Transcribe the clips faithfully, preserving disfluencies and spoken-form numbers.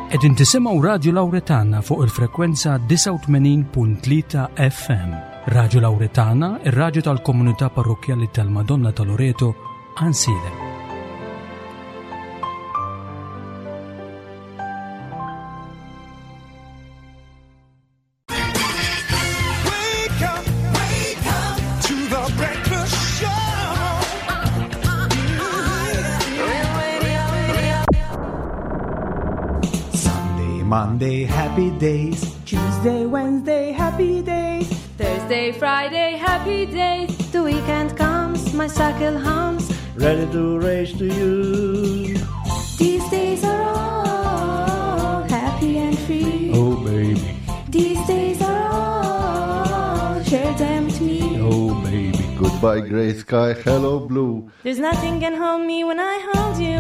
Qegħdin tisimgħu Radio Lauretana fuq il-frekwenza disgħa u tmenin punt tlieta F M. Radio Lauretana, ir-radju tal-komunità parrokkjali tal-Madonna ta' Loreto, Għajnsielem. Monday, happy days. Tuesday, Wednesday, happy days. Thursday, Friday, happy days. The weekend comes, my cycle hums. Ready to race to you. These days are all happy and free. Oh, baby. These days are all, share them with me. Oh, baby. Goodbye, gray sky, hello, blue. There's nothing can hold me when I hold you.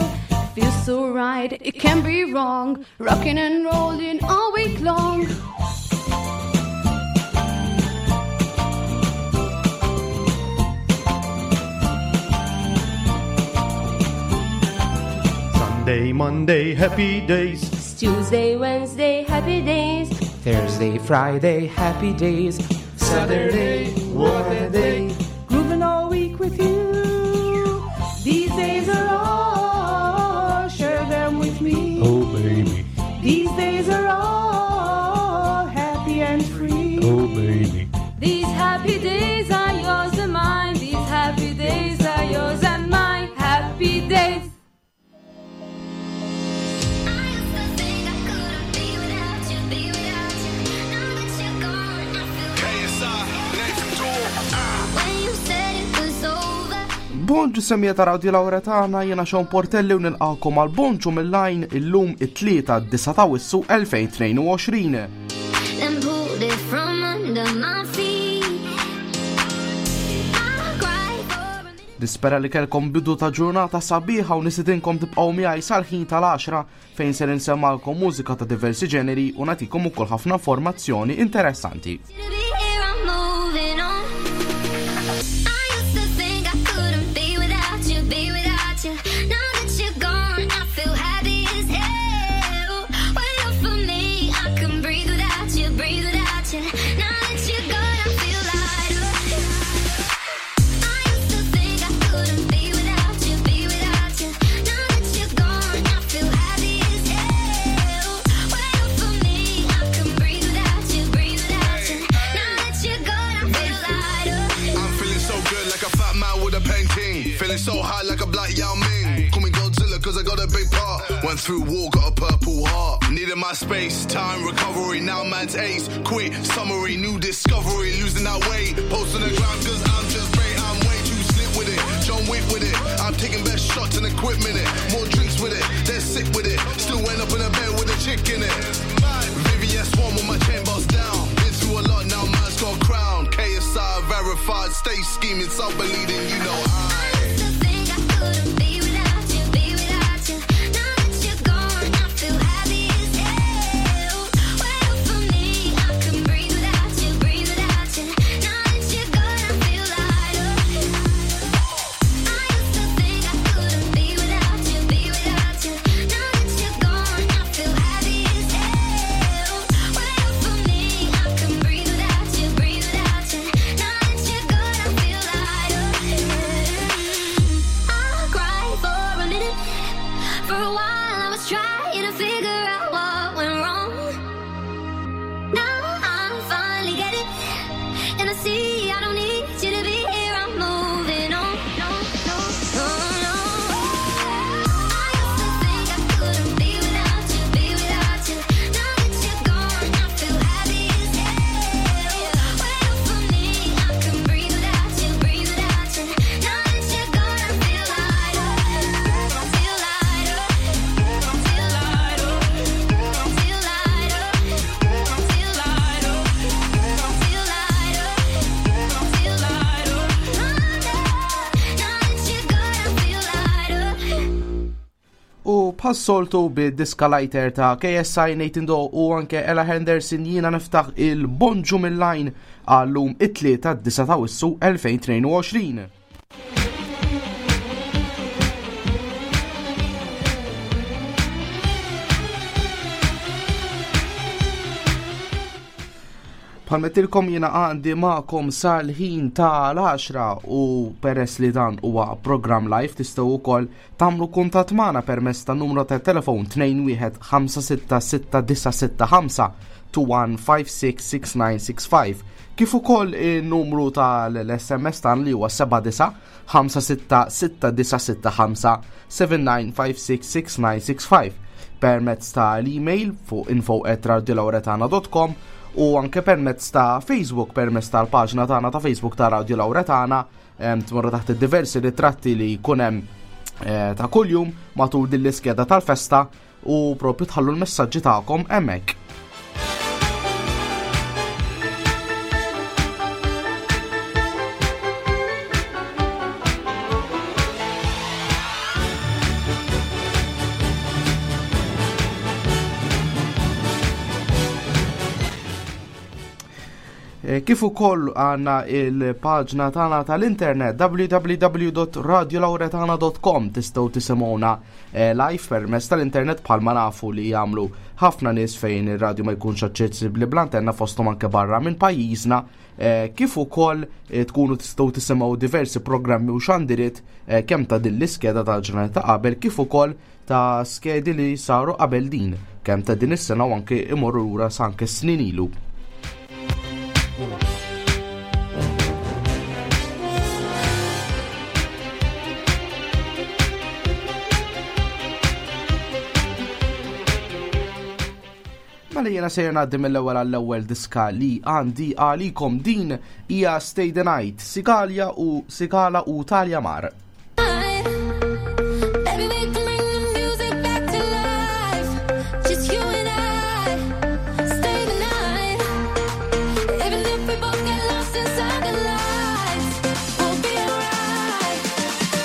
Feels so right, it can't be wrong. Rocking and rolling all week long. Sunday, Monday, happy days. It's Tuesday, Wednesday, happy days. Thursday, Friday, happy days. Saturday, what a day. Grooving all week with you. These days are all, share them with me. Oh, baby. These days are all happy and free. Oh, baby. These happy days are yours and mine. These happy days are yours and mine. Happy days. Bonġu semija ta' Radio Lauretana, jena Sean Portelli u nilqakom għal Bonġu mill-Lajn illum it-tlieta d-disa ta' Awwissu elfejn tnejn u għoxrin. Then pulled it from under my feet. I cried for a minute. Nispera li kelkom bidu ta' ġurnata sabiħa u nisidinkom tibqgħu miegħi sal-ħin tal-għaxra fejn ser insemmalkom mużika ta' diversi ġeneri u nagħtikom ukoll ħafna informazzjoni interessanti. So high like a black Yao Ming. Call me Godzilla 'cause I got a big part. Went through war, got a purple heart. Needed my space, time, recovery. Now man's ace. Quick summary, new discovery. Losing that weight, posting the ground 'cause I'm just great. I'm way too slick with it. John Wick with it. I'm taking best shots and equipment it. More drinks with it. They're sick with it. Still went up in a bed with a chick in it. V V S one with my chain bust down. Been through a lot, now man's got a crown. K S I verified, stay scheming, stop believing, you know I. Bħas-soltu bid-diska lighter ta' K S I Nathan Doe u anke Ella Henderson jiena niftaħ il-Bonġu mill-Lajn għallum it-tlieta d-disa ta' Awwissu elfejn tnejn u għoxrin. Bħalmetilkom jiena għandi magħkom sal-ħin tal-għaxra u peress li dan huwa program live tistgħu wkoll tagħmlu kuntatt magħna permezz ta' numru ta' telefon tnejn wieħed ħamsa sitta sitta disa' sitta ħamsa two one five six six nine six five, kif ukoll in-numru tal-S M S tagħna li huwa seba' disa' ħamsa sitta sitta disa' sitta ħamsa seven nine five six six nine six five, permezz tal-email fuq info at radiolauretana dot com u anke permezz ta' Facebook, permezz tal-paġna tagħna ta' Facebook ta' Radio Lauretana, em, tmorru taħt id-diversi ritratti li jkun hemm, eh, ta' kuljum matul din l-iskeda tal-festa u propju tħallu l-messaġġi tagħkom hemmhekk. Eh, kif ukoll għandna il-paġna tagħna tal-internet w w w dot radio lauretana dot com, tistgħu tisimgħuna, eh, live permezz tal-internet bħalma nafu li jagħmlu ħafna nies fejn ir-radju ma jkunx aċċessibbli bl-antenna fosthom anke barra minn pajjiżna, eh, kif ukoll, eh, tkunu tistgħu tisimgħu diversi programmi u xandiriet, eh, kemm ta' din l-iskeda tal-ġurnata ta' qabel kif ukoll ta' skedi li saru qabel din, kemm ta' din is-sena u anke imorru lura sa anke snin ilu. Mela jiena sejjer ngħaddi mill-ewwel għall-ewwel diska li għandi għalikom, din hija Stay the Night, Sigalia u Sigala u Talja Mar. Baby, we can bring the music back to life. Just you and I. Stay the night. Even if we both get lost inside the lights, we'll be alright.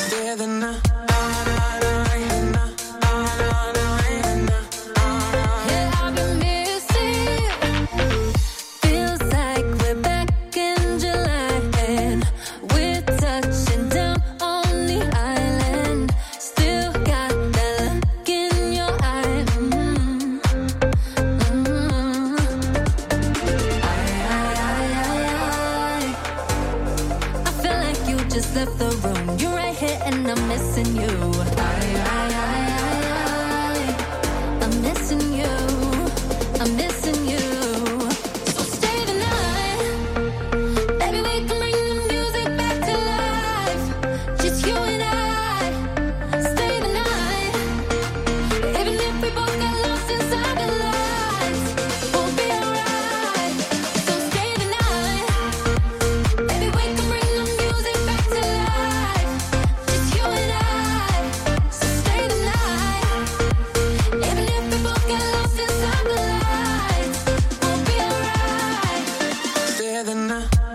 Stay the night. Yeah, I've been missing you. Feels like we're back in July and we're touching down on the island. Still got that look in your eye. Mm-hmm. Mm-hmm. I, I, I, I, I. I feel like you just left the room. You're right here and I'm missing you. I, I, I, I, I. I'm missing you. I'm missing you. So stay the night. Baby, we can bring the music back to life. Just you and I. Stay the night. Even if we both got lost inside the lights, we'll be alright. So stay the night. Baby, we can bring the music back to life. Just you and I. So stay the night. Even if we both get lost inside the lights, we'll be alright. Stay the night. 'Cause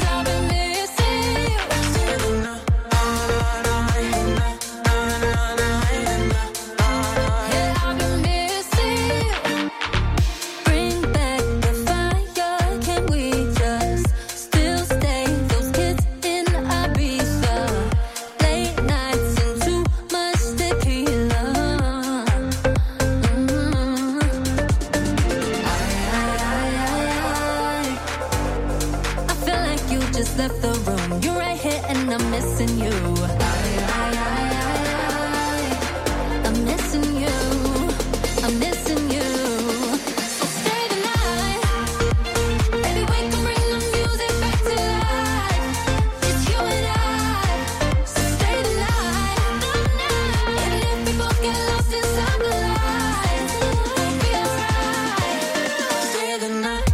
I've been missing you. Yeah, I've been missing you. Bring back the fire. Can we just still stay? Those kids in Ibiza, late nights and too much tequila. Mm-hmm. I, I, I, I, I. I feel like you just left the room. You're right here and I'm missing you. I, I, I, I, I. I'm missing you. I'm missing you. So stay the night. Baby, we can bring the music back to life. Just you and I. So stay the night. Even if we both get lost inside the lights, we'll be alright. Stay the night.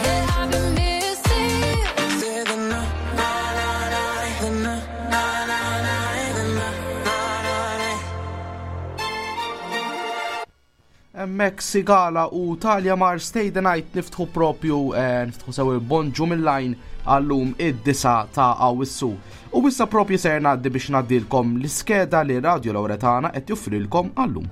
Yeah, I've been missing you. Stay the night. The night. The night. Hemmhekk Sigala u Talja Mar Stay the Night niftħu propju, eh, niftħu sew il-bonġu mill-line għallum id-disa ta' Awwissu. U issa propju ser ngħaddi biex ngħaddilkom l-iskeda li Radio Lauretana qed joffrilkom għallum.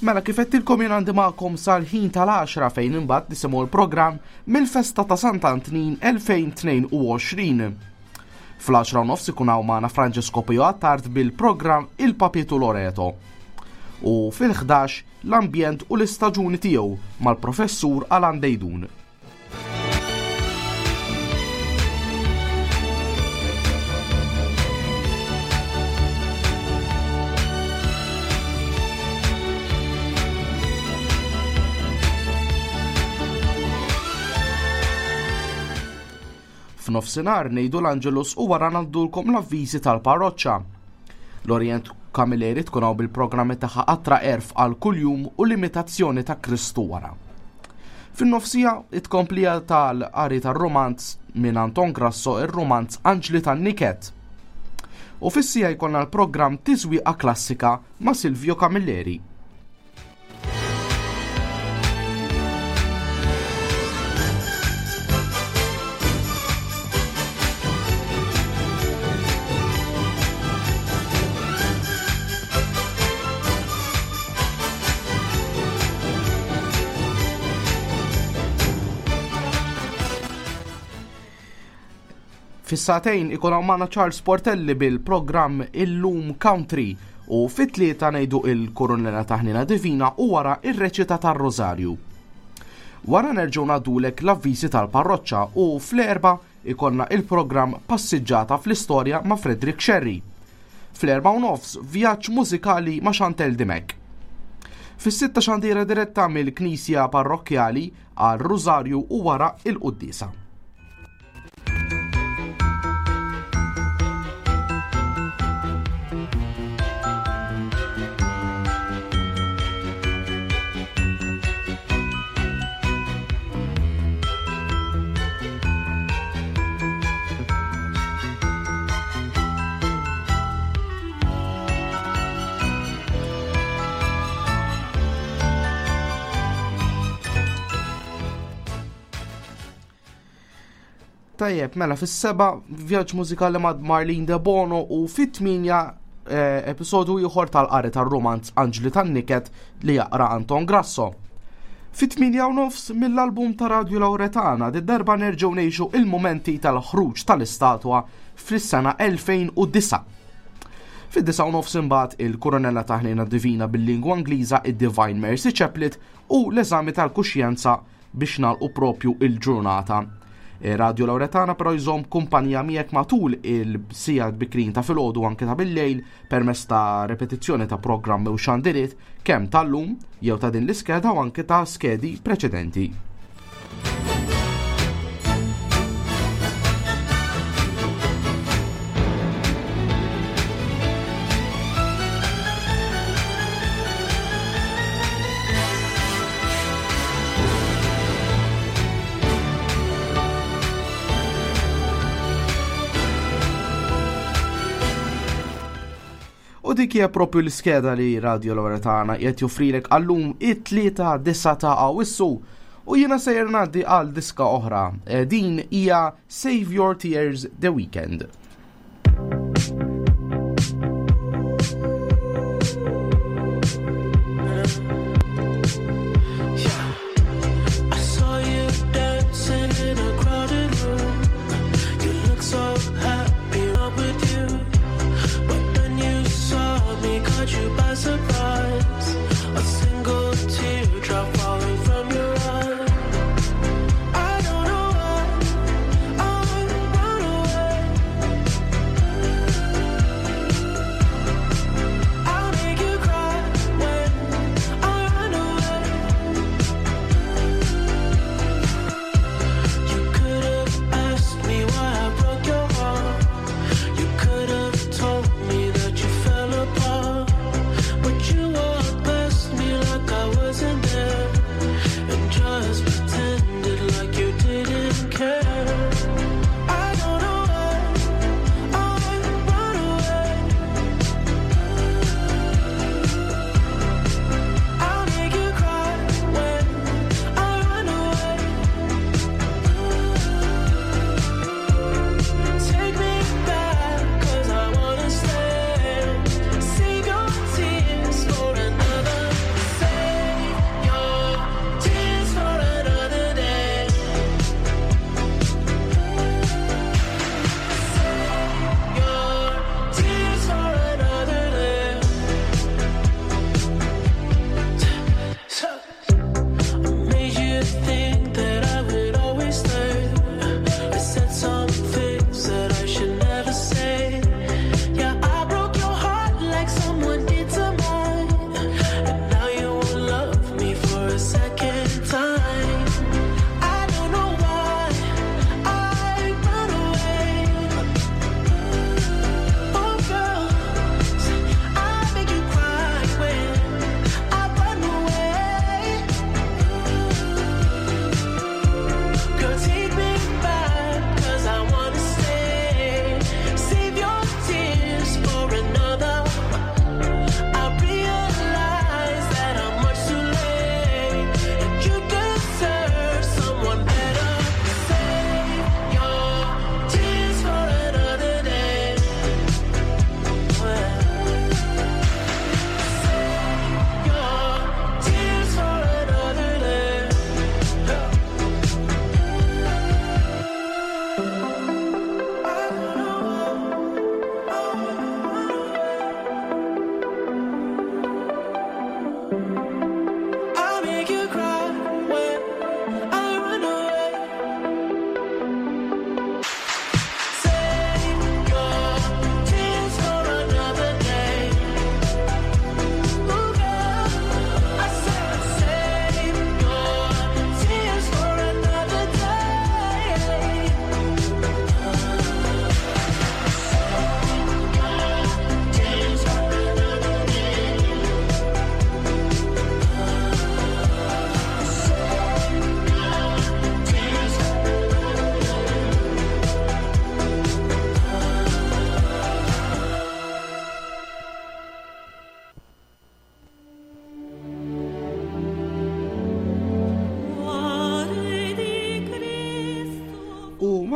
Mela kif għedtilkom jien għandi magħkom sal-ħin tal-għaxra fejn imbagħad nisimgħu l-programm mill-festa ta' Sant'Antnin elfejn tnejn u għoxrin. Fl-għaxra u nofs ikun hawn magħna Francesco Pio Attard bil-programm Il-Papitu Loreto. U fil-ħdax l-ambjent u l-istaġuni tiegħu mal-professur Alan Dejdun. F'nofsinhar ngħidu l-Angelus u wara ngħaddulkom l-avviżi tal-parroċċa. L-Orient Camilleri tkun hawn bil-programmi tagħha Qatra Erf għal kuljum u l-imitazzjoni ta' Kristu wara. Fin-nofsija it-komplija tal-qari tar-romanz minn Anton Grasso, ir-romanz Anġli tan-Niket. U fis-sija jkollna l-programm Tiżwieqa Klassika ma' Silvio Camilleri. Fis-sagħtejn ikun hawn magħna Charles Portelli bil-programm Illum Country u fit-tlieta ngħidu il-Kurunella ta' Ħnina Divina u wara ir-reċita tar-Rożarju. Wara nerġgħu ngħaddulek l-avviżi tal-parroċċa u fl-erba' ikollna il-programm Passiġġata fl-Istorja ma' Frederick Scerri. Fl-erba' u nofs vjaġġ mużikali ma' Chantel Dimech. Fis-sitta xandira diretta mill-Knisja Parrokkjali għal Rużarju u wara il-Quddiesa. Tajjeb, mela fis-seba' vjaġġ mużikali ma' Marlene De Bono u fit-tminja, eh, episodju ieħor tal-qari tar-romanz Anġli tan-Niket li jaqra Anton Grasso. Fit-tminja u nofs mill-album ta' Radio Lauretana di darba nerġgħu ngħixu il-momenti tal-ħruġ tal-istatwa fis-sena elfejn u disa'. Fid-disa' u nofs imbagħad il-Kurunella ta' Ħnina Divina bil-lingwa Ingliża, id-Divine Mercy Chaplet u l-eżami tal-kuxjenza biex nagħlqu propju il-ġurnata. E, Radio Lauretana però jżomm kumpanija miegħek matul il-sigħat bikrin ta' filgħodu anke ta' bil-lejl permezz ta' repetizzjoni ta' programmi u xandiriet kemm tal-lum jew ta' din l-iskeda u anke ta' skedi preċedenti. U dik hija propju l-iskeda li Radio Lauretana qed joffrilek għallum it-tlieta disa ta' Awwissu u jiena sejjer ngħaddi għal diska oħra. E, din hija Save Your Tears The Weeknd. I don't know why I run away.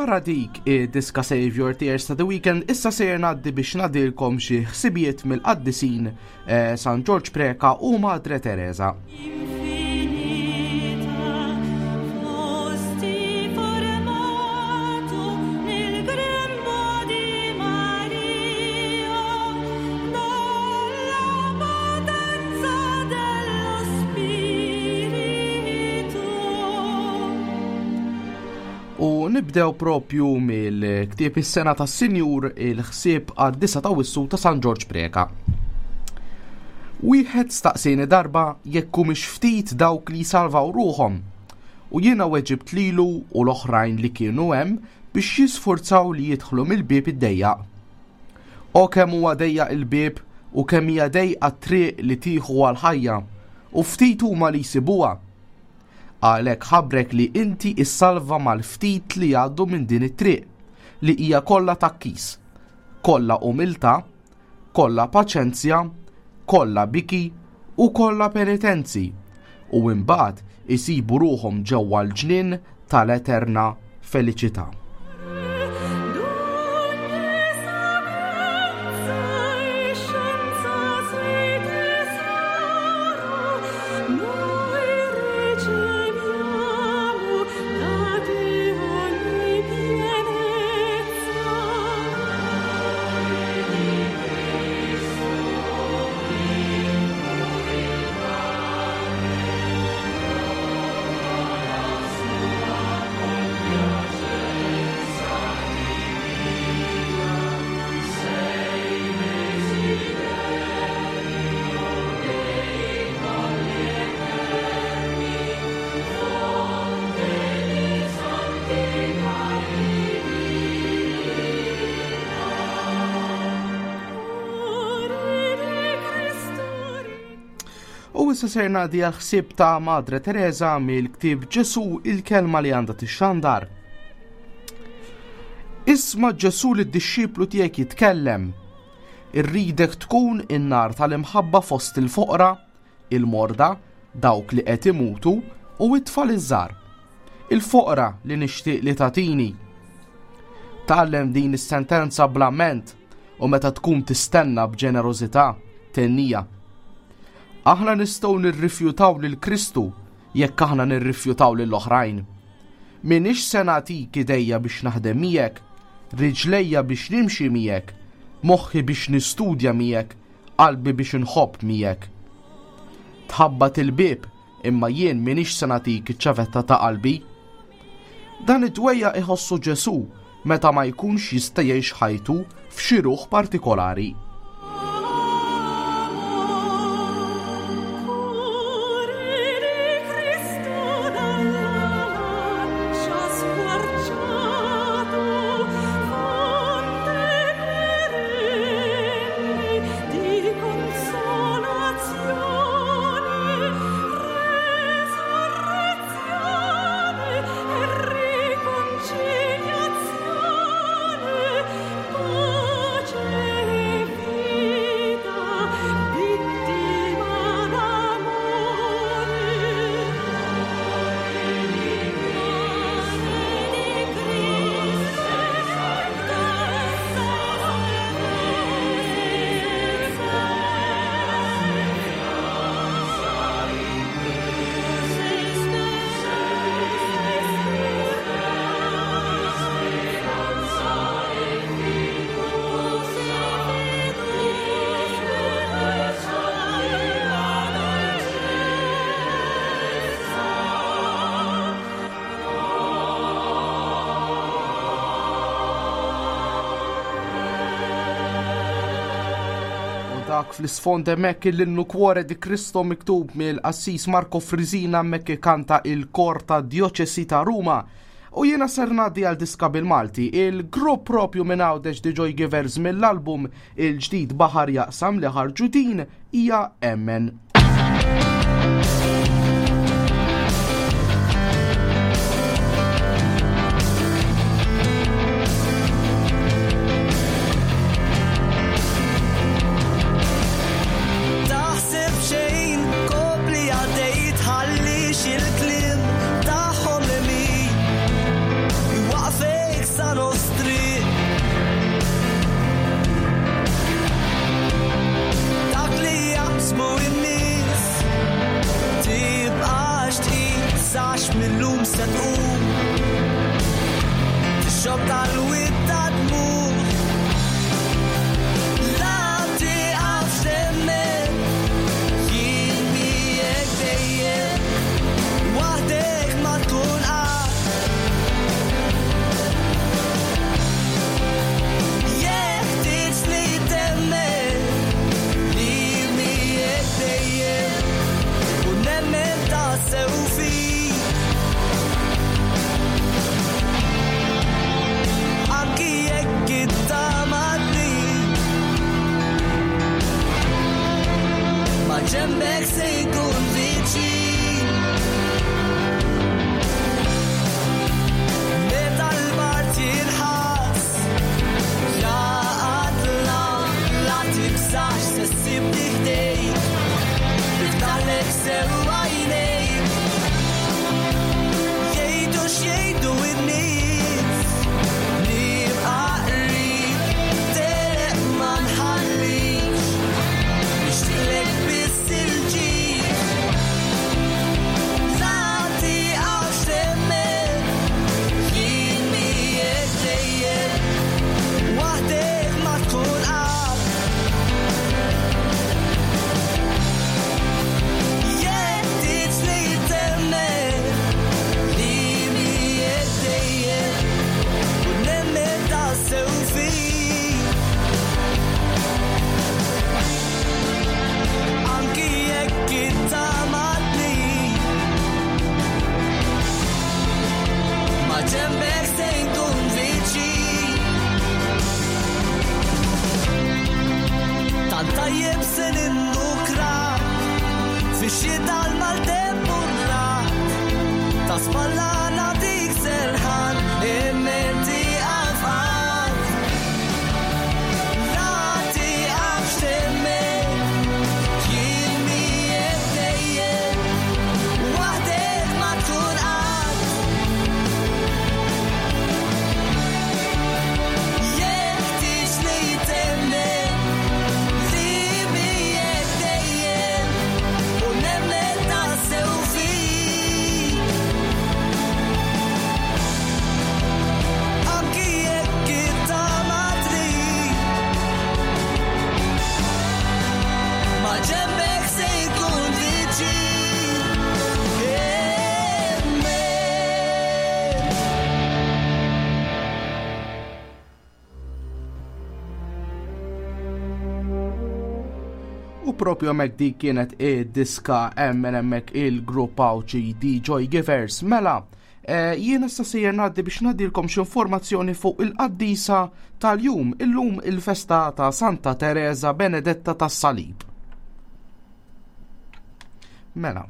Wara dik id-diska Save Your Tears ta' The Weeknd, issa sejjer ngħaddi biex ngħaddilkom xi ħsibijiet mill-qaddisin eh, San Ġorġ Preca u Madre Teresa. Fosti formato nel grembo di Maria dalla potenza dello Spirito. U nibdew propju mill-ktieb is-sena tas-Sinjur il-ħsieb għad-disa ta' Awwissu ta' San Ġorġ Preca. Wieħed staqsieni darba jekk humiex ftit dawk li salvaw ruħhom. U jiena weġibt lilu u l-oħrajn li kienu hemm biex jisforzaw li jidħlu mill-bieb id-dejjaq. O kemm huwa dejjaq il-bieb u kemm hija dejqa t-triq li tieħu għall-ħajja u ftit huma li jsibuha. Għalhekk ħabrek li inti issalva mal-ftit li jgħaddu minn din it-triq li hija kollha takkis, kollha umiltà, kollha paċenzja, kollha biki u kollha penitenzi, u imbagħad isibu ruħhom ġewwa l-ġnien tal-eterna feliċità. D'ogni sapienza e scienza sei tesoro, noi riceviamo da te ogni pienezza. Cuore di Cristo. U issa ser ngħaddi għal ħsieb ta' Madre Teresa mill-ktieb Ġesu il-kelma li għandha tixxandar. Isma' Ġesu li d-dixxiplu tiegħek jitkellem. Irridek tkun in-nar tal-imħabba fost il-foqra, il-morda, dawk li qed imutu u it-tfal iż-żgħar. Il-foqra li nixtieq li tagħtini. Tgħallem din is-sentenza bl-amment u meta tkun tistenna b'ġenerożità tennija. Aħna nistgħu nirrifjutaw lil Kristu jekk aħna nirrifjutaw lil oħrajn. Minix se nagħtik idejja biex naħdem miegħek, riġlejja biex nimxi miegħek, moħħi biex nistudja miegħek, qalbi biex inħobb miegħek. Tħabbat il-bieb imma jien minix se nagħtik iċ-ċavetta ta' qalbi. Dan id-dwejja iħossu Ġesu meta ma jkunx jista' jgħix ħajtu f'xi ruħ partikolari. Cuore di Cristo dalla lancia squarciato, fonte perenne di consolazione, resurrezione e riconciliazione, pace e vita, vittima d'amore. U dak fl-isfond hemmhekk l-innu Cuore di Cristo miktub mill-qassis Marco Frisina hemmhekk kanta il-kor ta' Djoċesi ta' Ruma. U jiena ser ngħaddi għal diska bil-Malti, il-grupp propju minn Għawdex The Joy Givers mill-album il-ġdid Baħar Jaqsam li ħarġu din hija Emmen. Taħseb xejn, kopli għaddej tħallix il-kliem tagħhom imi. Waqfek sa Ġembek se jkun viċin. Meta l-bart jinħass, jaqatla, la tibżax se ssibni ħdejk. Niftaħlek sew għajnejk. Jgħidu x'jgħidu n-nies, nibqa' qrib, telq ma nħallikx. Nixtieqlek biss il-ġid. La tieqafx temmen, jien miegħek dejjem, waħdek ma tkun qatt. Jeħtieġ li temmen, li miegħek dejjem, u nemmen tassew fik. Anki jekk intamatni, ma ġembek se nkun viċin. Tant tajjeb se nindukrak, fix-xita l-maltemp u r-ragħad. Ta' spalla nagħtik serħan, imma tieqaf qatt. La tieqafx temmen, jien miegħek dejjem, waħdek ma tkun qatt. Jeħtieġ li temmen, li miegħek dejjem, u nemmen tassew fik. Anki jekk intamatni, ma ġembek se jkun viċin. Emmen. U propju hemmhekk dik kienet id-diska emmen hemmhekk il-grupp Għawdxi The Joy Givers. Mela, eh, jien issa sejjer ngħaddi biex ngħaddilkom xi informazzjoni fuq il-qaddisa tal-jum, illum il-festa ta' Santa Teresa Benedetta tas-Salib. Mela.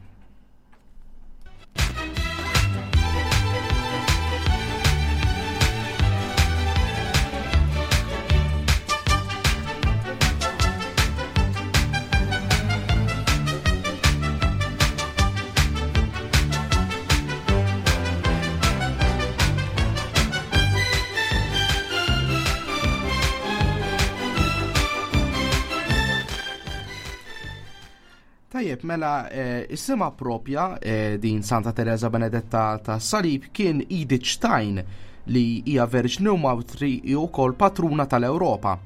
Tajjeb, mela, eh, is-sima propja eh, din Santa Teresa Benedetta ta' Salib kien Edith Stein li hija verġni u mawtri wkoll patruna tal-Ewropa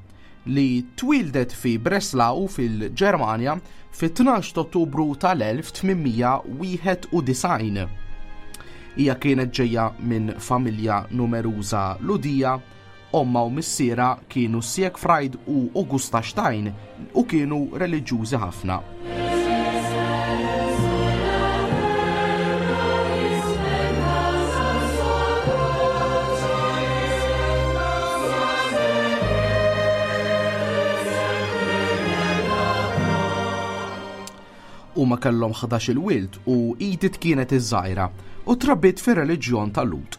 li twildet fi Breslau fil-Ġermanja fit-tnax ta' Ottubru tal-elf tmien mija wieħed u disgħin. Hija kienet ġejja minn familja numeruża Ludija, omma u missiera kienu Siegfried u Augusta Stein u kienu reliġjużi ħafna. Huma kellhom ħdax-il wild u Edith kienet iż-żgħira u trabbiet fir-reliġjon tal-Lhud.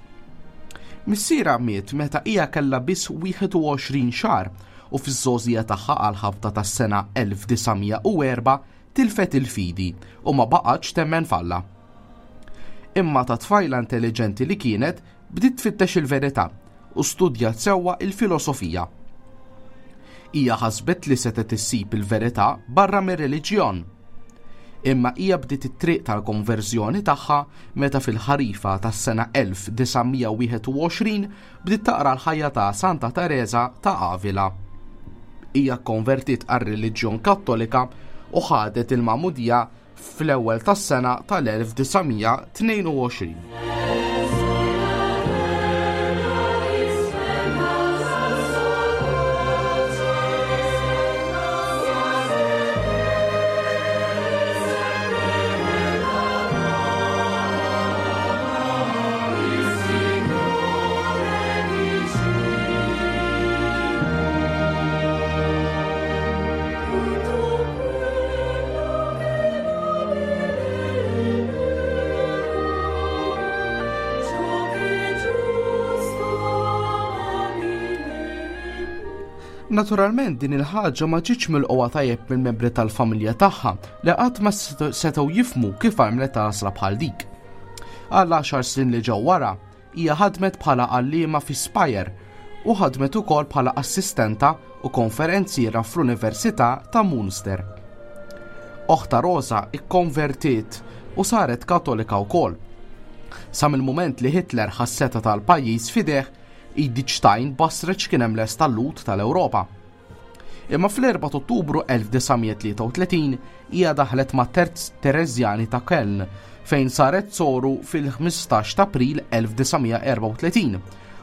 Missiera miet meta hija kellha biss wieħed u għoxrin xahar u fiż-żgħożija tagħha għal ħabta tas-sena elf disa' mija u erba' tilfet il-fidi u ma baqgħetx temmen f'Alla. Imma ta' tfajla intelligenti li kienet bdiet tfittex il-verità u studjat sewwa il-filosofija. Hija ħasbet li setgħet issib il-verità barra mir-reliġjon. Imma hija bdiet it-triq tal-konverżjoni tagħha meta fil-ħarifa tas-sena elf disa' mija wieħed u għoxrin bdiet taqra l-ħajja ta' Santa Teresa ta' Avila. Hija konvertit għar-reliġjon Kattolika u ħadet il-magħmudija fl-ewwel tas-sena tal-elf disa' mija tnejn u għoxrin. Naturalment din il-ħaġa ma ġietx milqugħa tajjeb mill-membri tal-familja tagħha li qatt ma setgħu jifhmu kif għamlet għażla bħal dik. Għal għaxar snin li ġew wara, hija ħadmet bħala għalliema fi Speyer u ħadmet ukoll bħala assistenta u konferenziera fl-Università ta' Munster. Oħta Rosa ikkonvertiet u saret Katolika wkoll. Sa mill-mument li Hitler ħa s-setgħa tal-pajjiż f'idejh, Edith Stein basret x'kien hemm lest tal-Lhud tal-Ewropa. Imma fl-erbgħa ta' Ottubru elf disa' mija tlieta u tletin hija daħlet ma' Terz Tereżjani ta' Köln fejn saret soru fil-ħmistax ta' April elf disa' mija erbgħa u tletin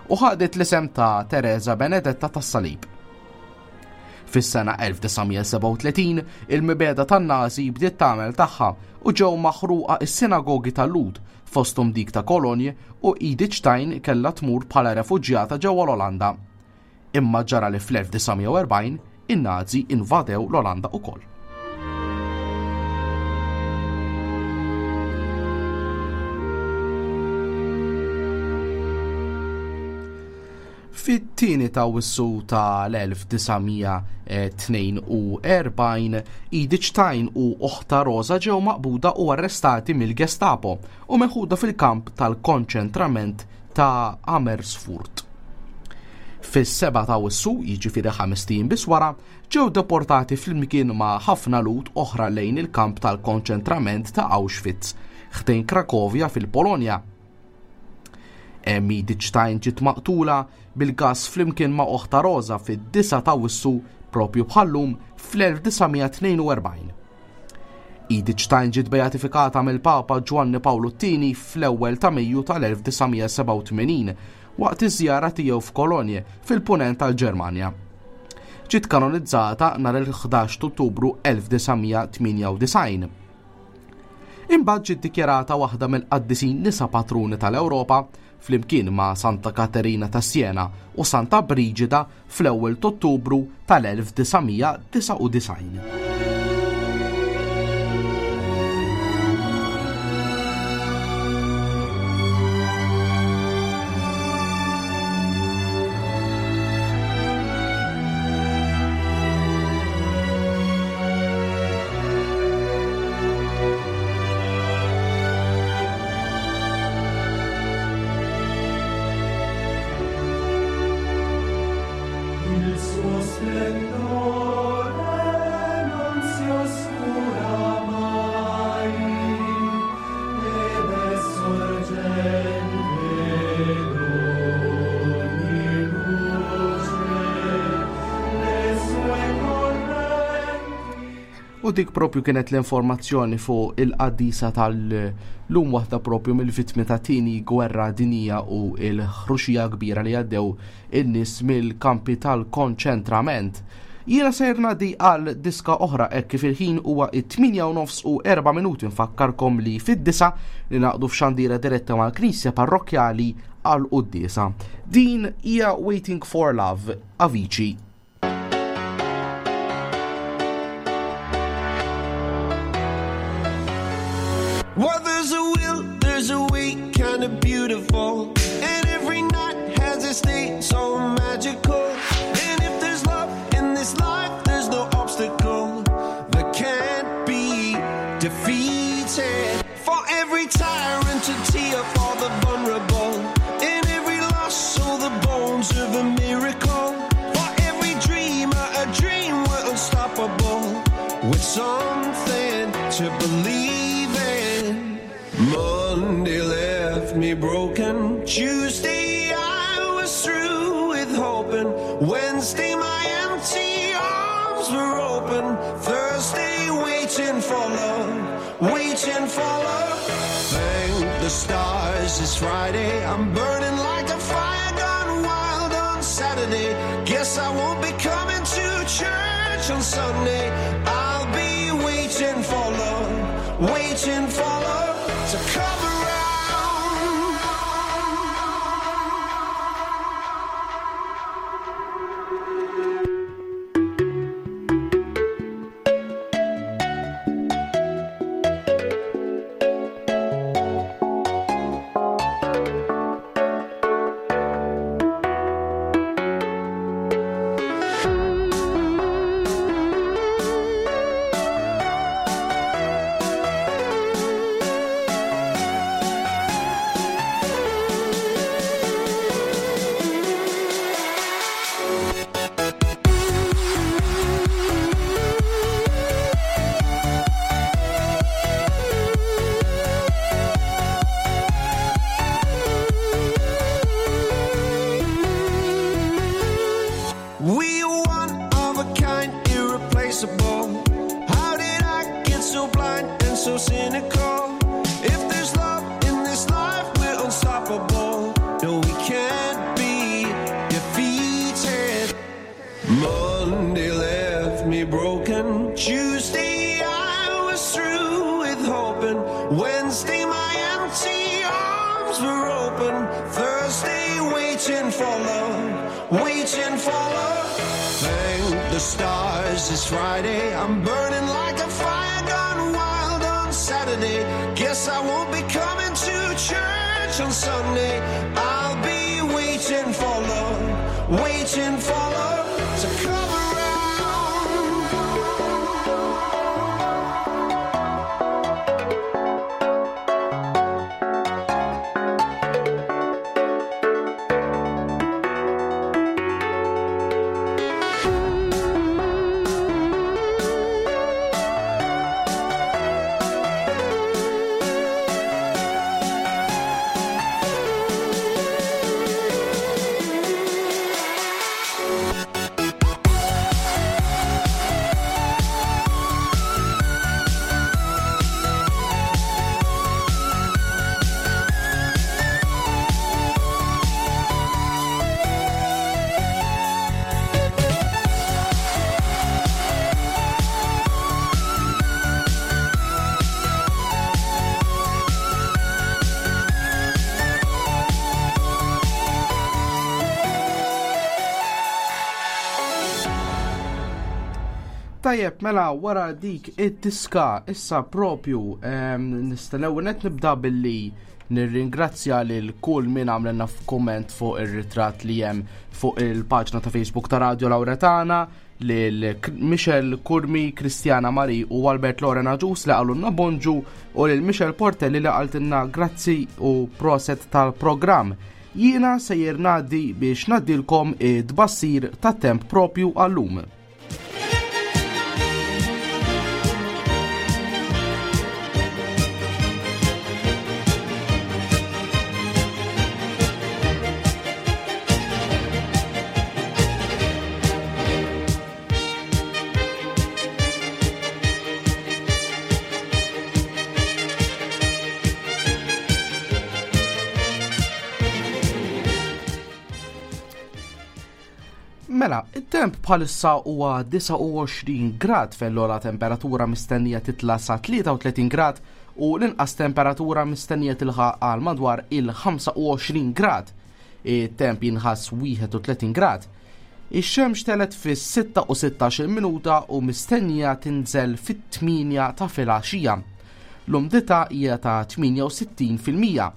u ħadet l-isem ta' Teresa Benedetta tas-Salib. Fis-sena elf disa' mija sebgħa u tletin il-mibegħda tan-Nazi bdiet tagħmel tagħha u ġew maħruqa s-sinagogi tal-Lhud fosthom dik ta' Kolonje u Edith Stein kellha tmur bħala refuġjata ġewwa l-Olanda. Imma ġara li fl-elf disa' mija u erbgħin in-Nazi invadew l-Olanda ukoll. Fit-tieni ta' Awwissu tal-elf disa' mija tnejn u erbgħin, Edith Stein u oħta Rosa ġew maqbuda u arrestati mill-Gestapo u meħuda fil-kamp tal-konċentrament ta' Amersfoort. Fis-seba' ta' Awwissu, jiġifieri ħames ijiem biss wara, ġew deportati flimkien ma' ħafna Lhud oħra lejn il-kamp tal-konċentrament ta' Auschwitz, ħdejn Krakovja fil-Polonja. Hemm Edith Stein ġiet maqtula bil-gas flimkien ma' oħta Rosa fid-disa' ta' Awwissu propju bħallum fl-elf disa' mija tnejn u erbgħin. Edith Stein ġiet beatifikata mill-Papa Ġwanni Pawlu t-tieni fl-ewwel ta' Mejju tal-elf disa' mija sebgħa u tmenin waqt iż-żjara tiegħu f'Kolonje fil-punent tal-Ġermanja. Ġiet kanonizzata nhar il-ħdax ta' Ottubru elf disa' mija tmienja u disgħin. Imbagħad ġiet dikjarata waħda mill-qaddisin nisa patruni tal-Ewropa flimkien ma' Santa Katerina ta' Siena u Santa Brigida fl-ewwel ta' Ottubru tal-elf disa' mija disa' u disgħin. Splendore non si oscura mai, ed è sorgente d'ogni luce, le sue correnti. U dik propju kienet l-informazzjoni fuq il-qaddisa tal-lum, waħda propju mill-vittmi ta' tieni gwerra dinija u l-ħruxija kbira li għaddew in-nies mill-kampi tal-konċentrament. Jiena sejr ngħaddi għal diska oħra hekk kif il-ħin huwa it-tmienja u nofs u erba' minuti. Nfakkarkom li fid-disa li naqdu f'xandira diretta mal-Knisja Parrokkjali għal quddiesa. Din hija Waiting for Love, Avicii. Well, there's a will, there's a way, kinda beautiful. And every night has its day so magical. And if there's love in this life, there's no obstacle that can't be defeated. For every tyrant a tear for the vulnerable. In every loss, all the bones of a miracle. For every dreamer, a dream we're unstoppable. With something to believe in. Monday left me broken. Tuesday I was through with hoping. Wednesday my empty arms were open. Thursday waiting for love, waiting for love. Thank the stars it's Friday. I'm burning like a fire gone wild on Saturday. Guess I won't be coming to church on Sunday. I'll be waiting for love, waiting for love to come around. so cynical. If there's love in this life, we're unstoppable. No, we can't be defeated. Monday left me broken. Tuesday I was through with hoping. Wednesday my empty arms were open. Thursday waiting for love, waiting for love. Thank the stars it's Friday. I'm burning like a fire gone wild on Saturday. Guess I won't be coming to church on Sunday. I'll be waiting for love, waiting for love to come around. Tajjeb, mela wara dik id-diska issa propju ehm, nista' net nibda billi nirringrazzja lil kull min għamlilna f'komment fuq ir-ritratt li hemm fuq il-paġna ta' Facebook ta' Radio Lauretana, lil Michel Kurmi, Kristjana Mari u Albert Lorena Ġus li qalulna bonġu u lil Michel Portelli li qaltilna grazzi u proset tal-programm. Jiena sejjer ngħaddi biex ngħaddilkom id-bassir tat-temp propju għallum. Mela, it-temp bħalissa huwa disgħa u għoxrin grad fejn l-ogħla temperatura mistennija titla' sa tlieta u tletin grad u l-inqas temperatura mistennija tilħaq għal madwar il-ħamsa u għoxrin grad. It-temp jinħass wieħed u tletin grad. Ix-xemx telet fis-sitta u sittax-il minuta u mistennija tinżel fit-tminja ta' filgħaxija. L-umdità hija ta' tminja u sittin fil-mija.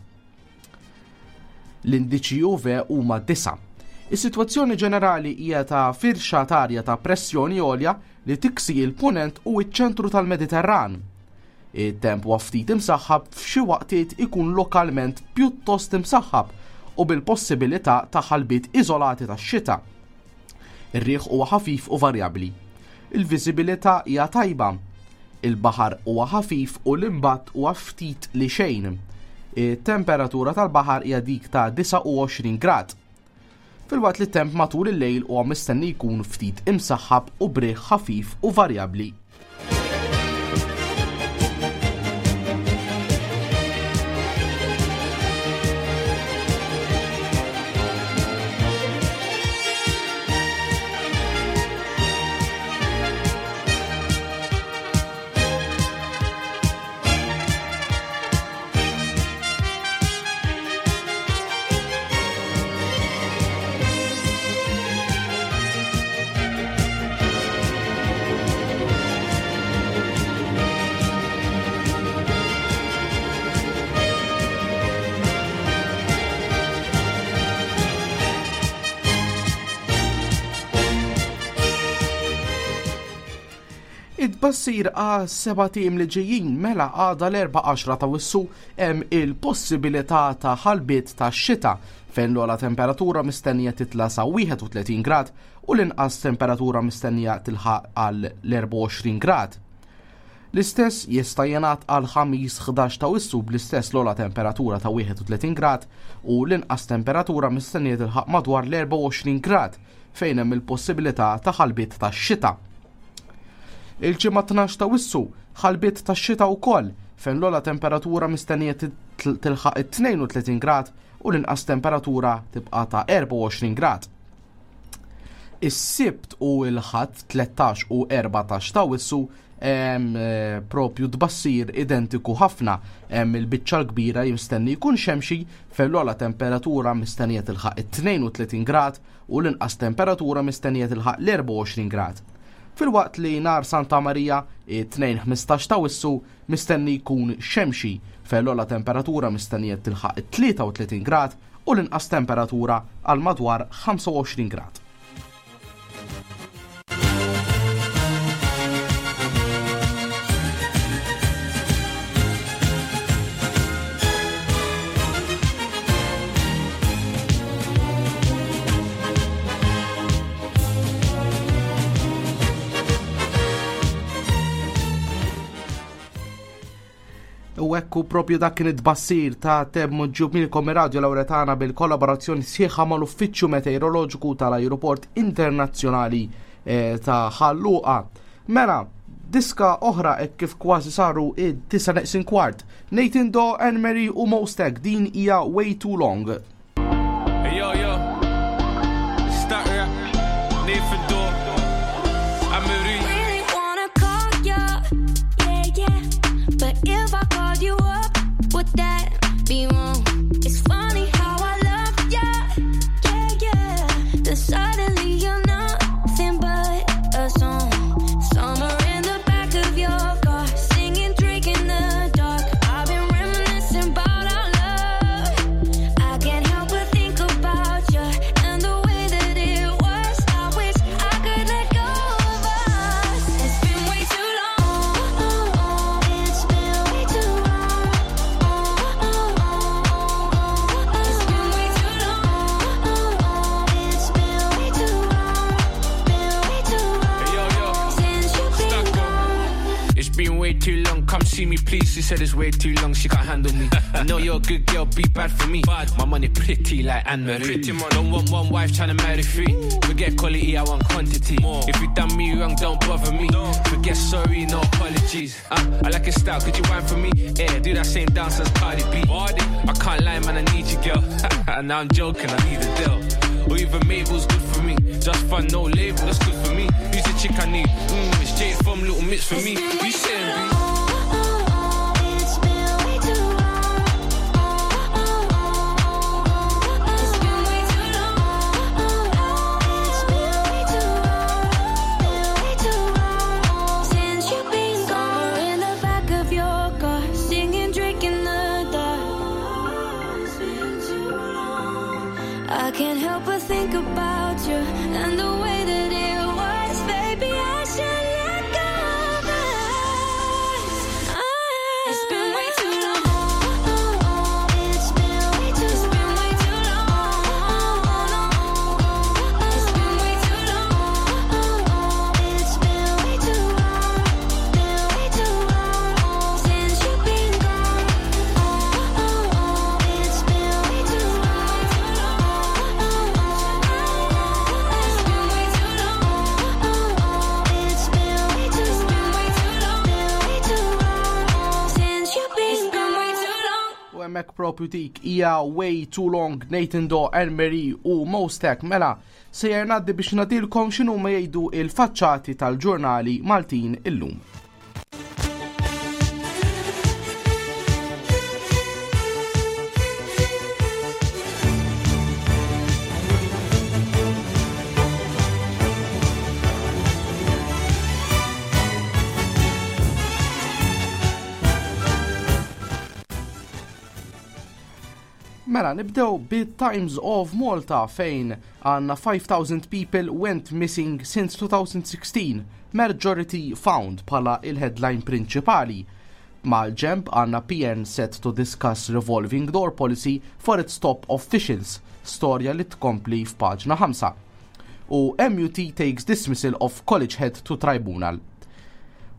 L-indiċi U V huma disa'. Is-sitwazzjoni ġenerali hija ta' firxa t'arja ta' pressjoni għolja li tiksi il-punent u iċ-ċentru tal-Mediterran. It-temp huwa ftit imsaħħab f'xi waqtiet ikun lokalment pjuttost imsaħħab u bil-possibilità ta' ħalbiet iżolati tax-xita. Ir-riħ huwa ħafif u varjabbli. Il-viżibilità hija tajba. Il-baħar huwa ħafif u l-imbatt huwa ftit li xejn. It-temperatura tal-baħar hija dik ta' disgħa u għoxrin grad. Filwaqt li temp matul il-lejl huwa mistenni jkun ftit imsaħħab u briħ ħafif u varjabbli. Id-bassir għal seba' tim li ġejjin mela għada l-erba' għaxra ta' wissu hemm il-possibilità ta' ħalbiet ta' xita fejn l-ogħla temperatura mistennija titla' sa wieħed u tletin grad u l-inqas temperatura mistennija tilħaq għal l-erbgħa u għoxrin grad. L-istess jista' jingħad għal ħamis ħdax ta' wissu bl-istess l-ogħla temperatura ta' wieħed u tletin grad u l-inqas temperatura mistennija tilħaq madwar l-erbgħa u għoxrin grad fejn hemm il-possibilità ta' ħalbiet ta' xita. Il-ġimgħa tnax ta' wissu ħalbiet ta' xita wkoll fejn l-ogħla temperatura mistennija tilħaq it-tnejn u tletin grad u l-inqas temperatura tibqa' ta' erbgħa u għoxrin grad. Is-Sibt u l-Ħadd tlettax u erbatax ta' Awwissu em, eh, propju tbassir identiku ħafna. Hemm il-biċċa l-kbira mistenni jkun xemxi, fejn l-ogħla temperatura mistennija tilħaq it-tnejn u tletin grad u l-inqas temperatura mistennija tilħaq l-erbgħa u għoxrin grad. Filwaqt li nhar Santa Marija, it-Tnejn ħmistax ta' Awwissu, mistenni jkun xemxi, fejn l-ogħla temperatura mistennija tilħaq it-tlieta u tletin grad u l-inqas temperatura għal madwar ħamsa u għoxrin grad. U ekku propju dak kien it-tbassir ta' temp miġjub lilkom Radio Lauretana bil-kollaborazzjoni sħiħa mal-Uffiċċju Meteoroloġiku tal-Ajruport Internazzjonali eh, ta' Ħal Luqa. Mela, diska oħra e kif kważi saru id-disa neqsin kwart. Nathan Dawe, Anne Marie u Mostek, din hija "Way Too Long". Hey yo yo, start rap, Nathan Dawe, Anne Marie. Really wanna call ya, yeah, yeah. But if I called you up, would that be wrong? It's funny how I love ya, yeah, yeah. Then suddenly you're nothing but a song. Summer in the back of your car, singing, drinking the dark. I've been reminiscing about our love. I can't help but think about you and the way that it was. I wish I could let go of us. It's been way too long. It's been way too long. It's been way too long. It's been way too long. Been way too long. Hey yo yo, Since you've been gone. It's been way too long. Come see me, please. She said it's way too long. She can't handle me. I know you're a good girl, be bad for me. My money pretty like Anne Marie. Don't want one wife trying to marry three. Forget quality, I want quantity. If you done me wrong, don't bother me. Forget sorry, no apologies. Uh, I like your style, could you wine for me? Yeah, do that same dance as Cardi B. I can't lie, man, I need you, girl. Now I'm joking, I need a deal. Or even Mabel's good for me. Just fun, no label, that's good for me. Who's the chick I need? Mm, it's Jade from Little Mix for me. We saying, B? It's been way too long. It's been way too long. It's been way too long. Been way too long since you've been gone. In the back of your car, singing, drinking the dark. It's been too long. I can't help but think about you and the way that it was. Baby, I should let go of us. It's been way too long. It's been way too. It's been way too long. It's been way too long. It's been way too long. Been way too long since you've been gone. It's been way too long. It's been way too long. It's been way too. It's been way too long. Been way too long since you've been gone. Way too long. U hemmhekk propju dik hija "Way Too Long", Nathan Dawe, Anne Marie u Mostek. Mela, sejjer ngħaddi biex ngħidilkom x'inhu ma jgħidu il-faċċati tal-ġurnali Maltin illum. Mela, nibdew bit-Times of Malta, fejn għandna five thousand people went missing since twenty sixteen, majority found bħala il-headline prinċipali. Mal-ġemb għandna P N set to discuss revolving door policy for its top officials, storja li tkompli f'paġna ħamsa. U M U T takes dismissal of college head to tribunal.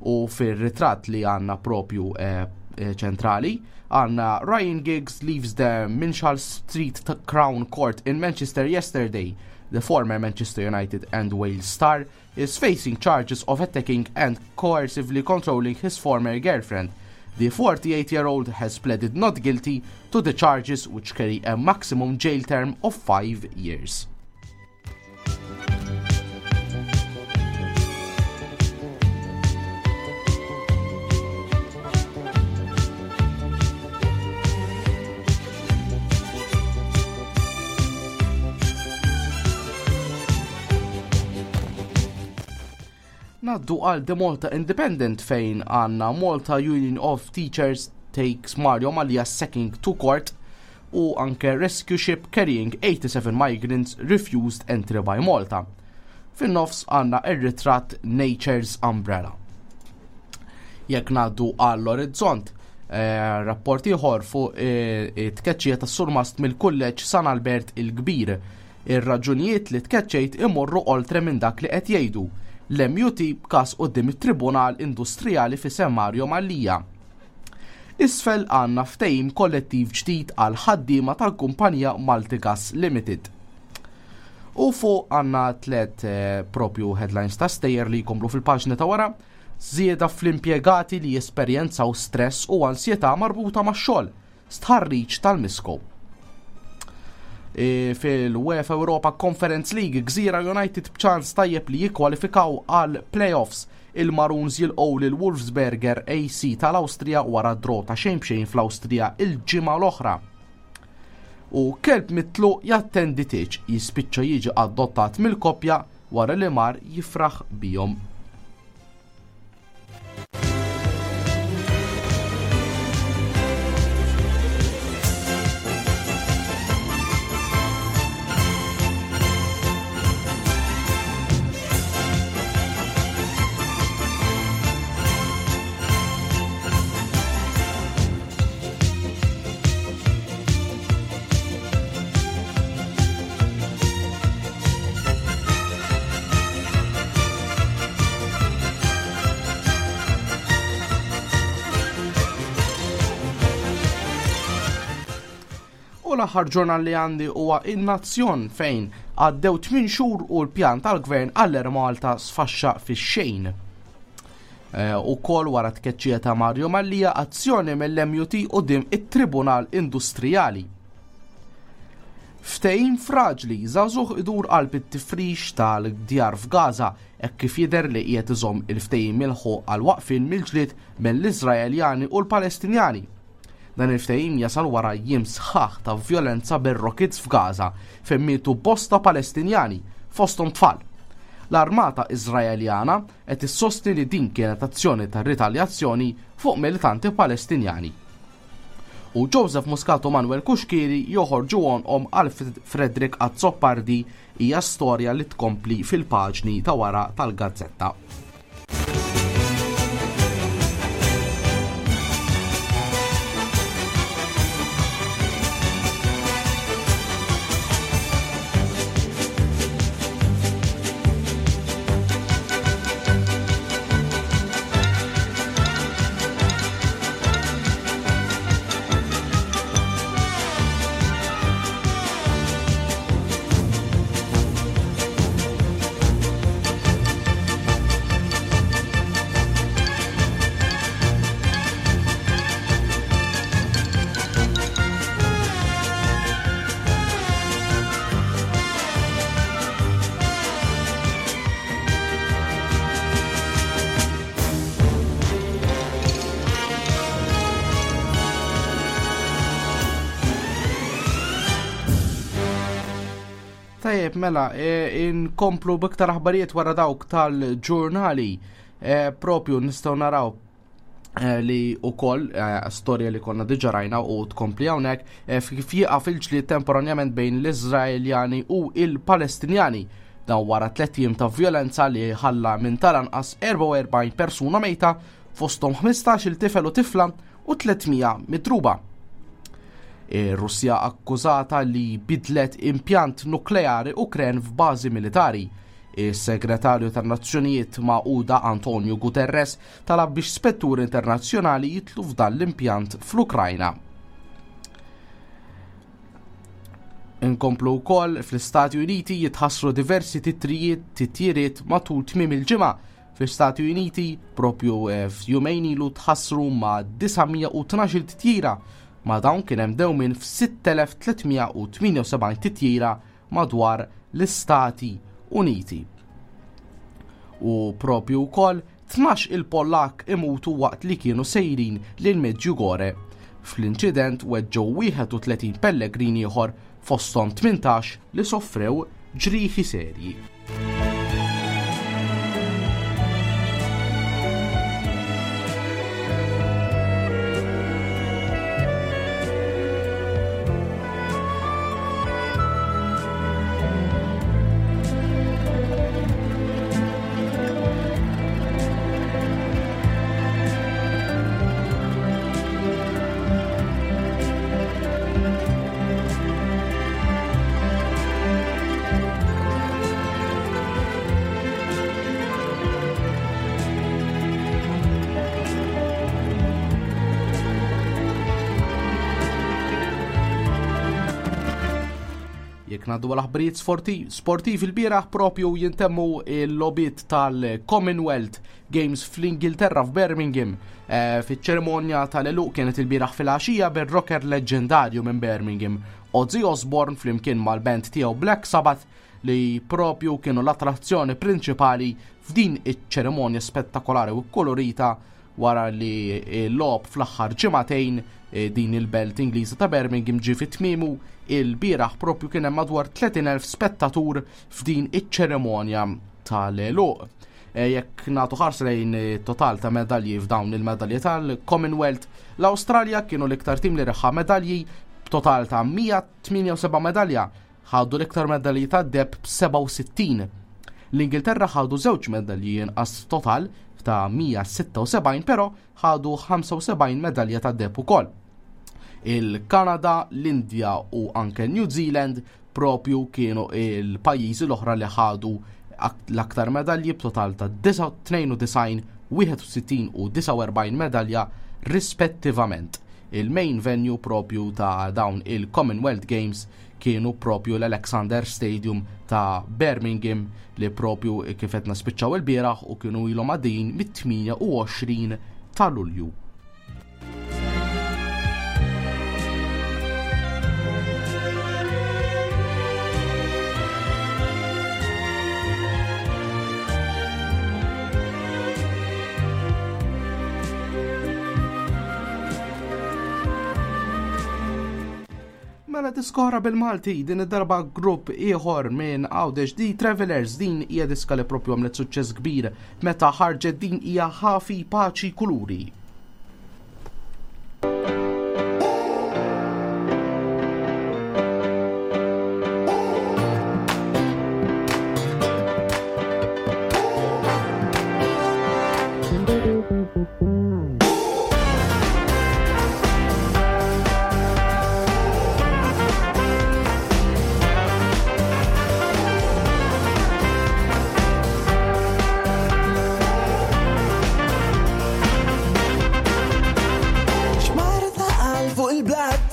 U fil-ritratt li għandna propju eh, eh, ċentrali għandna Ryan Giggs leaves the Minshull Street Crown Court in Manchester yesterday. The former Manchester United and Wales star is facing charges of attacking and coercively controlling his former girlfriend. The forty-eight-year-old has pleaded not guilty to the charges, which carry a maximum jail term of five years. Naddu għal The Malta Independent fejn għanna Malta Union of Teachers takes Mario Mallia sacking to court u anke rescue ship carrying eighty-seven migrants refused entry by Malta. Fin-nofs għanna ir-ritratt Nature's Umbrella. Jekk naddu għall-Orizzont, eh, rapport ieħor fuq eh, it-tkeċċija tas-surmast mill-Kulleġġ San Albert il-Kbir. Ir-raġunijiet li tkeċċejt imorru oltre minn dak li qed jgħidu. L-M U T b'każ quddiem it-Tribunal Industrijali fi San Mario Mallia. Isfel għandna ftehim kollettiv ġdid għal ħaddiema tal-kumpanija Maltigas Limited. U fuq għandna tliet, eh, propju headlines ta' stejjer li jkomplu fil-paġni ta' wara, żieda fl-impjegati li jesperjenzaw stress u ansjetà marbuta max-xogħol, stħarriġ tal-Misco. E, fil-UEFA Europa Conference League, Gżira United b'ċans tajjeb li jikkwalifikaw għal playoffs. Il-Maroons jilqgħu lil Wolfsberger A C tal-Awstrija wara draw ta' xejn b'xejn fl-Awstrija il-ġimgħa l-oħra. U kelb mitluq jattendi tieġ jispiċċa jiġi adottat mill-koppja wara li mar jifraħ bihom. U l-aħħar ġurnal li għandi huwa In-Nazzjon fejn għaddew tmien xhur u l-pjan tal-gvern għall-Air Malta sfaxxa fix-xejn. Eh, u kol wara tkeċċija ta' Mario Mallia azzjoni mill-M U T quddiem it-Tribunal Industrijali. Ftehim fraġli, żagħżugħ idur qalb it-tifrix tal-djar f'Gaza hekk kif jidher li qiegħed iżomm il-ftehim milħuq għal waqfien mill-ġlied mill-Iżraeljani u l-Palestinjani. Dan il-ftehim jasal wara jiem sħaħ ta' vjolenza bir-rockets f'Gaza fejn mietu bosta Palestinjani fosthom tfal. L-armata Iżraeljana qed issostni li din kienet azzjoni ta' ritaljazzjoni fuq militanti Palestinjani. U Joseph Muscat u Manuel Cuschieri joħorġu għonqhom għal Frederick Azzopardi hija storja li tkompli fil-paġni ta' wara tal-gazzetta. Tajjeb, mela, e, inkomplu b'iktar aħbarijiet wara dawk tal-ġurnali. E, propju nistgħu naraw, e, li wkoll, e, storja li konna diġà rajna u tkompli hawnhekk, e, kif jieqaf il-ġlied temporanjament bejn l-Iżraeljani u l-Palestinjani. Dan wara tliet ijiem ta' vjolenza li ħalla minn tal-anqas erbgħa u erbgħin persuna mejta, fosthom ħmistax-il tifel u tifla u tliet mija midruba. Ir-Russja akkużata li bidlet impjant nukleari Ukren f'bażi militari. Is-Segretarju tan-Nazzjonijiet Magħquda Antonio Guterres talab biex spetturi internazzjonali jitlu f'dan l-impjant fl-Ukrajna. Inkomplu wkoll fl-Istati Uniti jitħassru diversi titrijiet, titjiriet matul tmiem il-ġimgħa Fl-Istati Uniti propju eh, f'jumejn ilu tħassru ma' disa' mija u tnax-il titjira, ma' dawn kien hemm dewmien f'sitt elef tliet mija u tmienja u sebgħin titjira madwar l-Istati Uniti. U propju wkoll tnax il-Pollak imutu waqt li kienu sejrin lil Medjugorje. Fl-inċident weġġew wieħed u tletin pellegrin ieħor fosthom tmintax li soffrew ġrieħi serji. Jekk ngħaddu għal aħbarijiet sporti-, sportivi, il-bieraħ propju jintemmu l-logħbiet tal-Commonwealth Games fl-Ingilterra f'Birmingham. Eh, fiċ-ċerimonja tal-għeluq kienet il-bieraħ fil-għaxija bir-rocker leġendarju minn Birmingham, Ozzy Osbourne, flimkien mal-band tiegħu Black Sabbath, li propju kienu l-attrazzjoni prinċipali f'din iċ-ċerimonja spettakolari u kolorita wara li l-logħob fl-aħħar ġimagħtejn, eh, din il-belt Ingliża ta' Birmingham ġie fi tmiemu. Il-bieraħ propju kien hemm madwar tletin elf spettatur f'din iċ-ċerimonja tal-għeluq. Eh, jekk nagħtu ħarsa lejn total ta' medalji f'dawn il-medalji tal-Commonwealth, l-Awstralja kienu l-iktar tim li reħa medalji b'total ta' mija tmienja u seba' medalja, ħadu l-iktar medalji ta' deheb b'seba' u sittin. L-Ingilterra ħadu żewġ medalji inqas total ta' mija sitta u sebgħin, però ħadu ħamsa u sebgħin medalja ta' deheb ukoll. Il-Kanada, l-Indja u anke New Zealand propju kienu il-pajjiżi l-oħra li ħadu ak-, l-aktar medalji b'total ta' disa-, tnejn u disgħin, wieħed u sittin u disa' u erbgħin medalja rispettivament. Il-main venue propju ta' dawn il-Commonwealth Games kienu propju l-Alexander Stadium ta' Birmingham li propju kif qed naspiċċaw il-bieraħ u kienu ilhom għaddejjin mit-tmienja u għoxrin ta' Lulju. Mela diskora bil-Malti, din id-darba grupp ieħor minn Għawdex, The Travelers. Din hija diska li propju għamlet suċċess kbir meta ħarġet, din hija Ħafi Paċi Kuluri.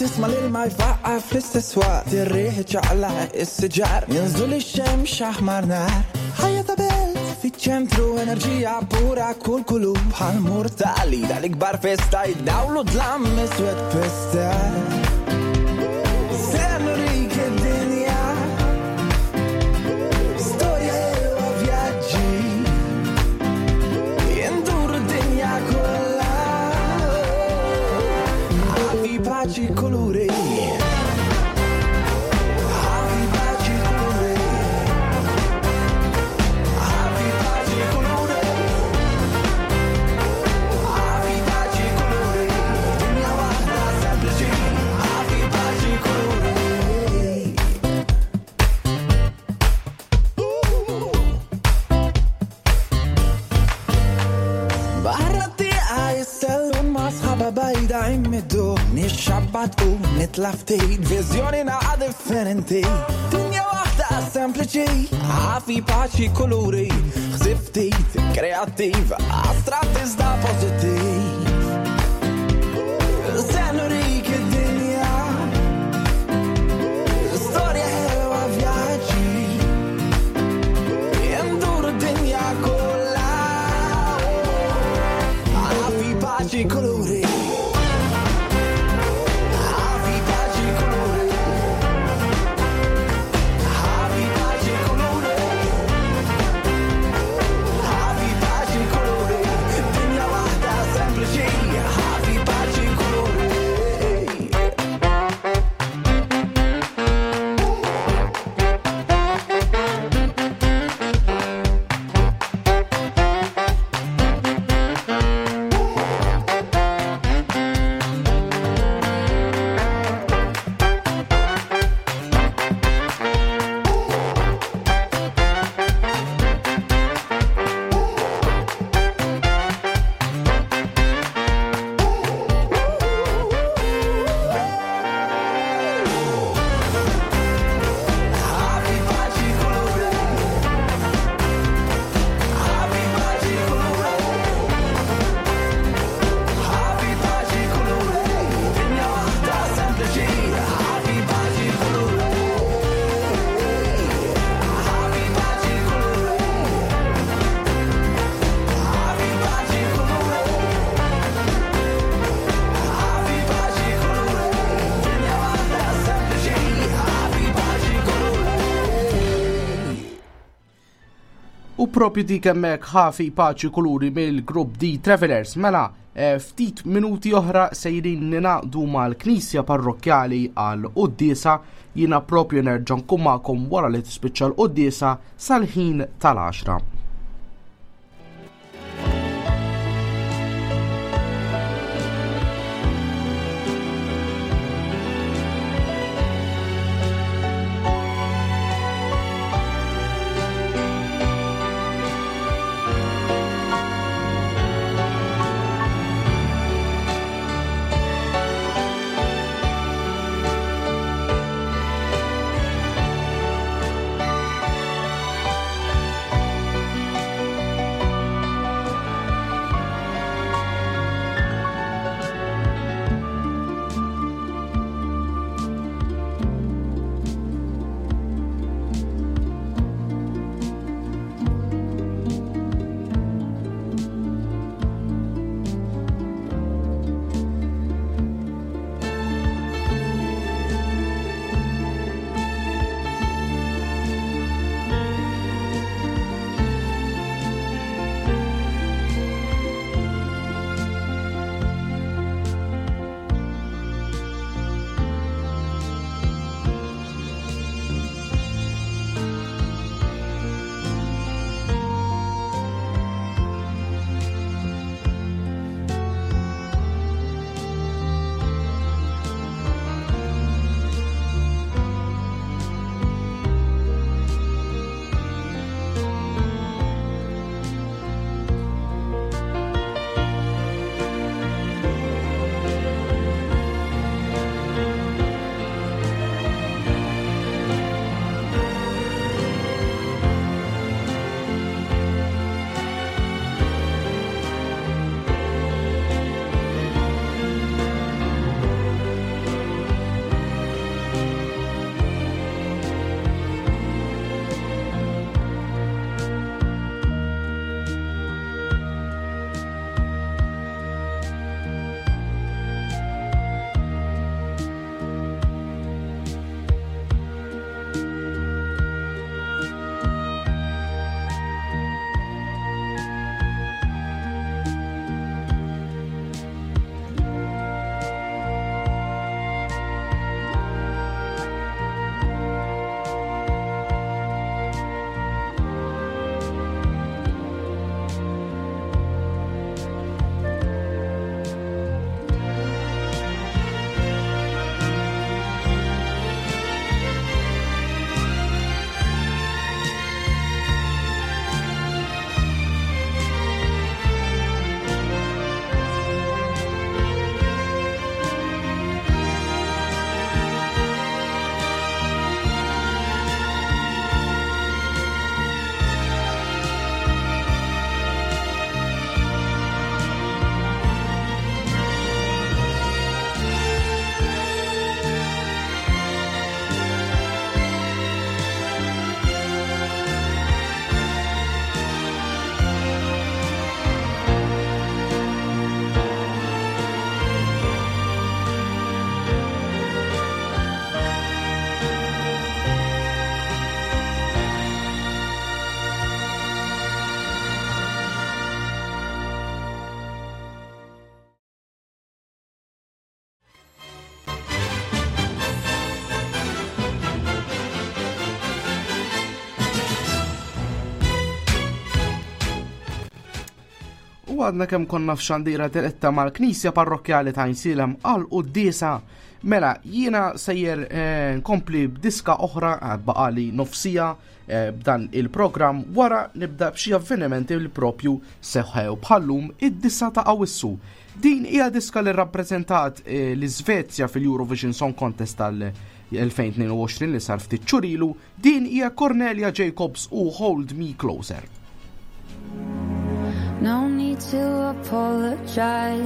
Tisma' lil ma jfaqqa fl-istess waqt, ir-riħ iċaqlaq is-siġar, jinżlu lix-xemx aħmar nar. Ħajja ta' belt fiċ-ċentru, enerġija pura kull kulur, bħal murtali dal-ikbar festa jdawlu dlam iswed pesta. Se nurik id-dinja, storja ħelwa vjaġġi, jenduru d-dinja kollha. Ħafi paċi kuluri. Ħafi paċi kuluri. Ħafi paċi kuluri. Ħafi paċi kuluri. Dinja waħda sempliċi. Ħafi paċi kuluri. Barra t-tieqa jissellun ma' sħaba bajda immiddu, nixxabbat u nitla' ftit, viżjoni naqa' differenti. Dinja waħda sempliċi, ħafi paċi kuluri, ħsib ftit, kreattiv, astratt iżda pożittiv. Se nurik id-dinja, storja ħelwa vjaġġi, jenduru d-dinja kollha. paċi, kuluri. Ħafi paċi, kuluri. Ħafi paċi, kuluri. Ħafi paċi, kuluri. Dinja waħda sempliċi. Ħafi paċi, kuluri. Ħafi paċi, kuluri. Ħafi paċi, kuluri. Ħafi paċi, kuluri. Dinja waħda sempliċi. Ħafi paċi, kuluri. Ħafi paċi, kuluri. Ħafi paċi, kuluri. Ħafi paċi, kuluri. Dinja waħda sempliċi. Ħafi paċi, kuluri. U propju dik hemmhekk ħafi paċi kuluri mill-grupp The Travelers. Mela, eh, ftit minuti oħra sejrin ninaqdu mal-Knisja Parrokkjali għal quddiesa. Jiena propju nerġa' nkun magħkom wara li tispiċċa l-quddiesa sal-ħin tal-għaxra. Thank U għadna kemm konna f'xandira diretta mal-Knisja Parrokkjali ta' Għajnsielem għal quddiesa. Mela, jiena sejjer eh, nkompli b'diska oħra għad baqali nofsija eh, b'dan il-programm wara nibda b'xi avvenimenti li propju seħħew bħallum id-disa ta' Awissu. Din hija diska li rappreżentat eh, l-Iżvezja fil-Eurovision Song Contest tal-elfejn tnejn u għoxrin li sar ftit xhur ilu. Din hija Cornelia Jacobs u Hold Me Closer. No need to apologize,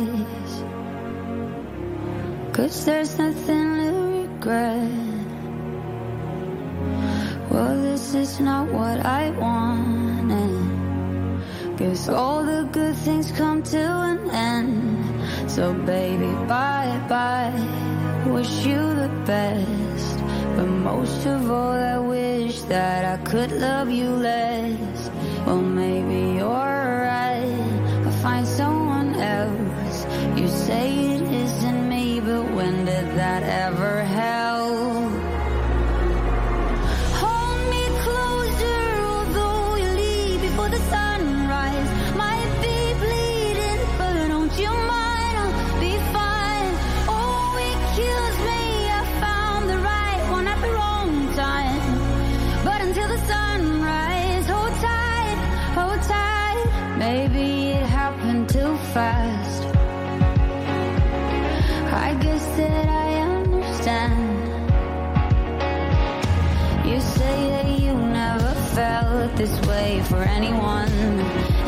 'cause there's nothing to regret. Well, this is not what I wanted. Guess all the good things come to an end. So baby, bye-bye, wish you the best. But most of all, I wish that I could love you less. Well, maybe you're right, I'll find someone else. You say it isn't me, but when did that ever help? Hold me closer, although you leave before the sunrise. Might be bleeding, but don't you mind, I'll be fine. Oh, it kills me, I found the right one at the wrong time. But until the sunrise, hold tight, hold tight. Maybe it happened too fast. I guess that I understand. You say that you never felt this way for anyone,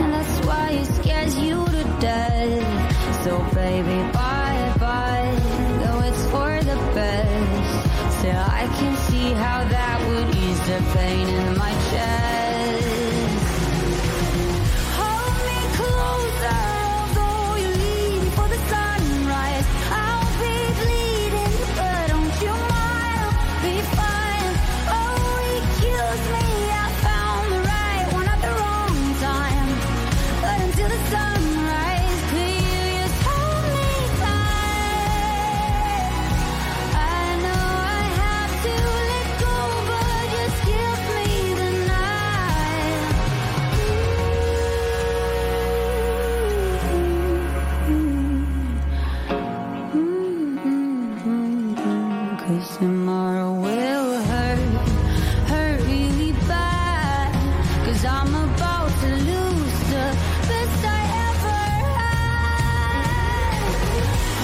and that's why it scares you to death. So baby, bye-bye, though it's for the best. Still I can see how that would ease the pain in my chest. Hold me closer, although you leave before the sunrise. I'll be bleeding, but don't you mind, I'll be fine. Oh, it kills me, I found the right one at the wrong time. But until the sunrise, could you just hold me tight? I know I have to let go, but just give me the night. Mm-hmm. 'Cause tomorrow will hurt, hurt really bad. 'Cause I'm about to lose the best I ever had.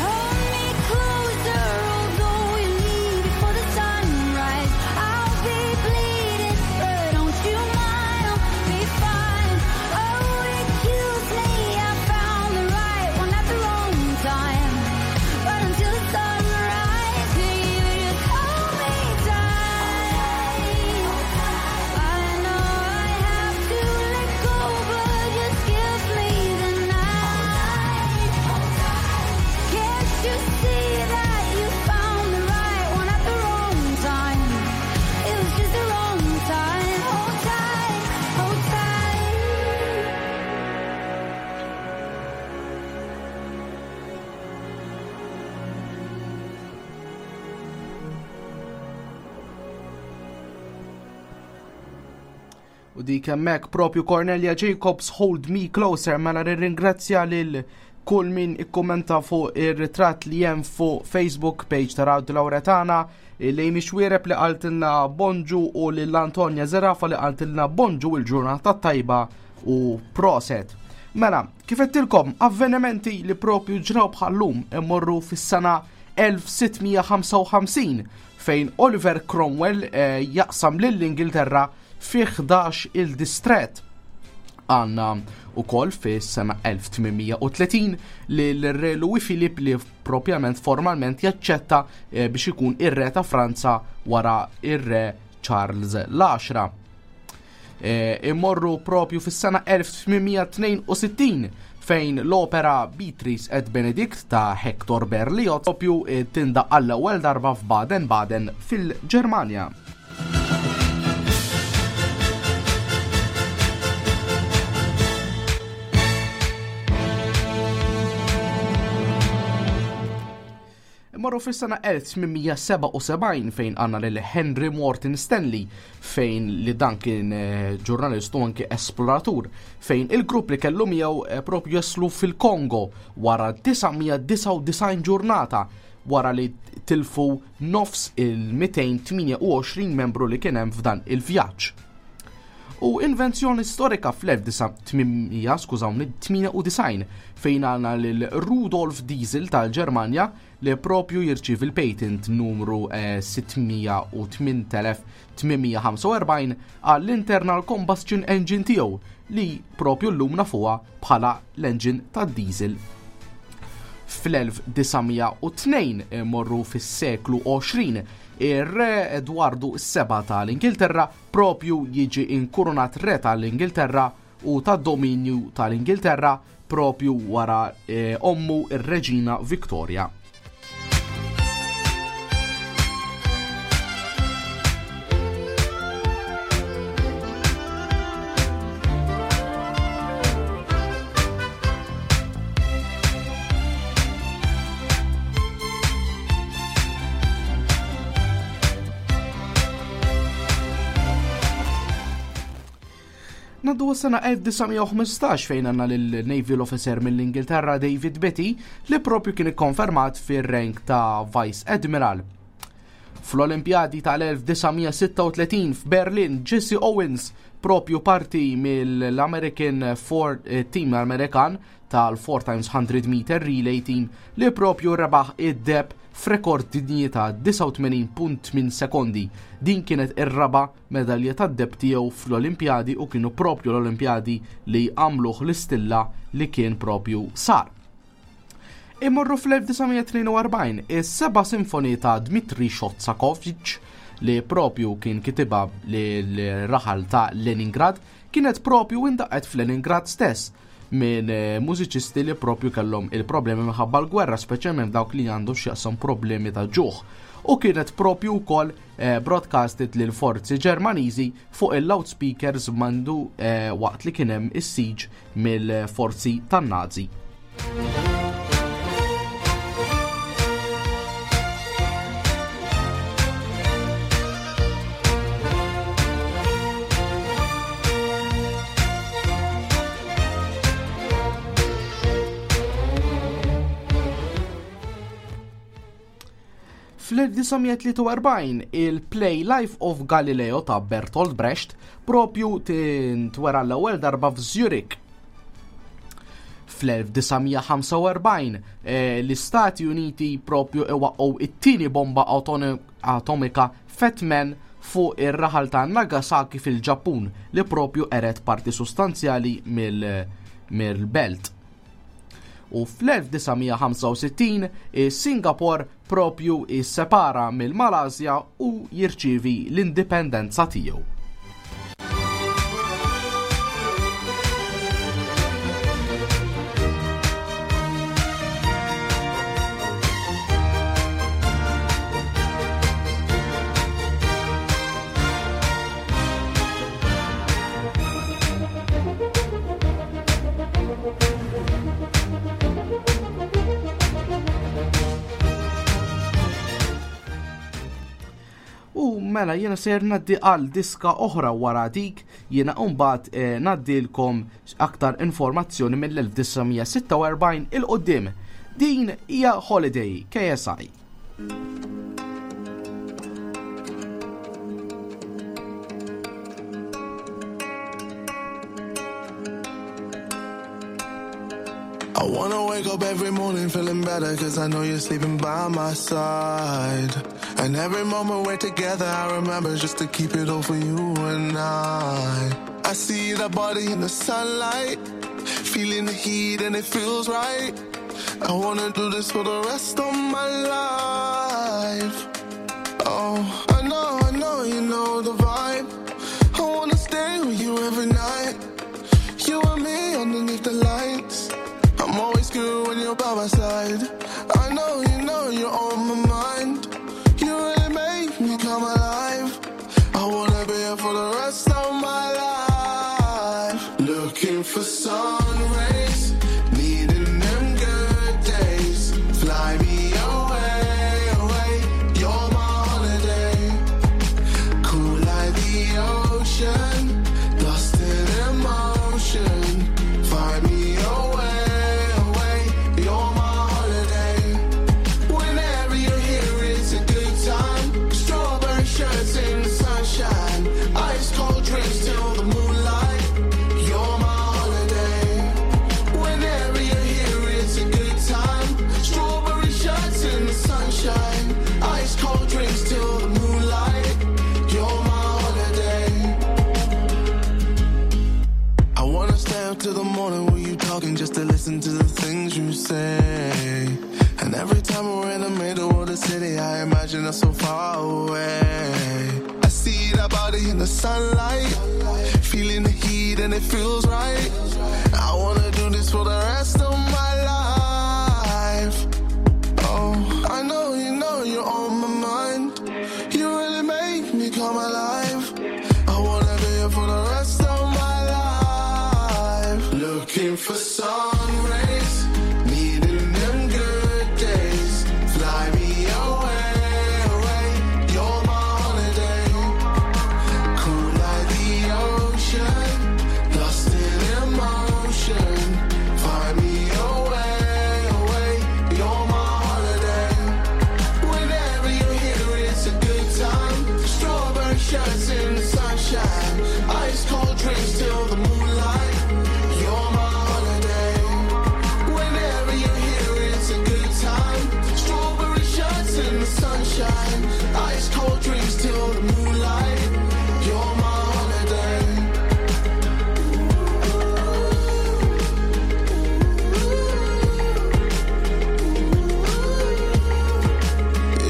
Hold me closer, although you leave before the sunrise. I'll be bleeding, but don't you mind, I'll be fine. Oh, it kills me, I found the right one at the wrong time. But until the sunrise, could you just hold me tight? I know I have to let go, but just give me the night. Can't you see that you found the right one at the wrong time? It was just the wrong time. Hold tight, hold tight. U dik hemmhekk propju Cornelia Jacobs Hold Me Closer. Mela nirringrazzja lil kull min ikkommenta fuq ir-ritratt li hemm fuq Facebook page ta' Radio Lauretana, li Mixwiereb li qaltilna bonġu u lil Antonia Zerafa li qaltilna bonġu il-ġurnata tajba u proset. Mela, kif għedtilkom, avvenimenti li propju ġraw bħallum immorru fis-sena elf sittmija ħamsa u ħamsin fejn Oliver Cromwell, eh, jaqsam lill-Ingilterra fi ħdax il-distret. Għanna u koll fi sena elf tmienmija u tletin li l-re Louis Philippe li propjament formalment jaċċetta, eh, biex ikun ir-re ta' Franza wara ir-re Charles l-għaxra. Eh, immorru propju fis-sena elf tmienmija tnejn u sittin fejn l-opera Beatrice et Benedict ta' Hector Berlioz propju, eh, tindaq għall-ewwel darba f'Baden-Baden fil-Ġermanja. Marru fis-sena elf tmien mija sebgħa u sebgħin fejn għandna lil Henry Morton Stanley, fejn li dan kien eh, ġurnalist u anke esploratur, fejn il-grupp li kellu miegħu eh, propju jaslu fil-Kongo wara disa' mija disgħa u disgħin ġurnata, wara li tilfu nofs il-mitejn tmienja u għoxrin membru li kien hemm f'dan il-vjaġġ. U invenzjoni storika fl-elf tmien mija, skużawni, tmienja u disgħin, fejn għandna lil Rudolf Diesel tal-Ġermanja li propju jirċievi l-patent numru eh, sitt mija u tmien elef tmien mija ħamsa u erbgħin għall-internal combustion engine tiegħu, li propju llum nafuha bħala l-engine tad-diesel. Fl-elf disa' mija u tnejn, morru fis-seklu għoxrin, ir-re Edwardu s-Seba tal-Ingilterra propju jiġi inkurunat re tal-Ingilterra u tad-dominju tal-Ingilterra, propju wara eh, ommu ir-Reġina Victoria. Naddu sena elf disa' mija u ħmistax fejn għandna lil-Naval Officer mill-Ingilterra David Beatty li propju kien ikkonfermat fir-rank ta' Vice Admiral. Fl-Olimpjadi tal-elf disa' mija sitta u tletin f'Berlin, Jesse Owens propju parti mill-American Four, eh, Team Amerikan tal-four times hundred meter relay team li propju rebaħ id-deheb f'rekord dinji ta' disgħa u tmenin punt tmien sekondi. Din kienet ir-raba medalja tad-deheb tiegħu fl-Olimpjadi u kienu propju l-Olimpjadi li għamluh l-istilla li kien propju sar. Immorru fl-elf disa' mija tnejn u erbgħin, is-seba' sinfoni ta' Dmitri Shostakovich, li propju kien kitibha l-raħal ta' Leningrad, kienet propju indaqqet f'Leningrad stess minn eh, mużiċisti li propju kellhom il-problemi minħabba l-gwerra, speċjalment dawk li għandu x'jaqsam problemi ta' ġuħ. U kienet propju wkoll eh, broadcasted lil forzi Ġermaniżi fuq il-loudspeakers mandu eh, waqt li kien hemm is-siege mill-forzi tan-Nazi. Fl-elf disa' mija tlieta u erbgħin il-play Life of Galileo ta' Bertolt Brecht propju tintwera l-ewwel darba f'Zurich. Fl-elf disa' mija ħamsa u erbgħin eh, l-Istati Uniti propju iwaqqgħu it-tieni bomba atomika Fat Man fuq ir-raħal ta' Nagasaki fil-Ġappun, li propju qered parti sostanzjali mill-belt. U fl-elf disa' mija ħamsa u sittin Singapore propju jissepara mill-Malasja u jirċievi l-indipendenza tiegħu. U mela jiena ser naddi għal diska oħra. Wara dik jiena mbagħad eh, naddilkom aktar informazzjoni mill-elf disa' mija sitta u erbgħin 'il quddiem. Din hija Holiday, K S I. I wanna wake up every morning feeling better, 'cause I know you're sleeping by my side. And every moment we're together, I remember just to keep it all for you and I. I see that body in the sunlight, feeling the heat and it feels right. I wanna do this for the rest of my life. Oh, I know, I know you know the vibe. I wanna stay with you every night. You and me underneath the lights. I'm always good when you're by my side. I know you know you're on my mind. You really make me come alive. I wanna be here for the rest of my life. Looking for sun rays, needing them good days. Fly me away. things you say. And every time we're in the middle of the city, I imagine us so far away. I see that body in the sunlight, feeling the heat and it feels right. I wanna do this for the rest of my life. Oh, I know you know you're on my mind. You really make me come alive. I wanna be here for the rest of my life. Looking for sun rays, needing them good days. Fly me away, away. You're my holiday. Cool like the ocean, lost in emotion. Fly me away, away. You're my holiday. Whenever you're here, it's a good time. Strawberry shirts in the sunshine, ice cold drinks till the moonlight. You're my holiday. Whenever you're here, it's a good time. Strawberry shirts in the sunshine, ice cold drinks till the moonlight. You're my holiday.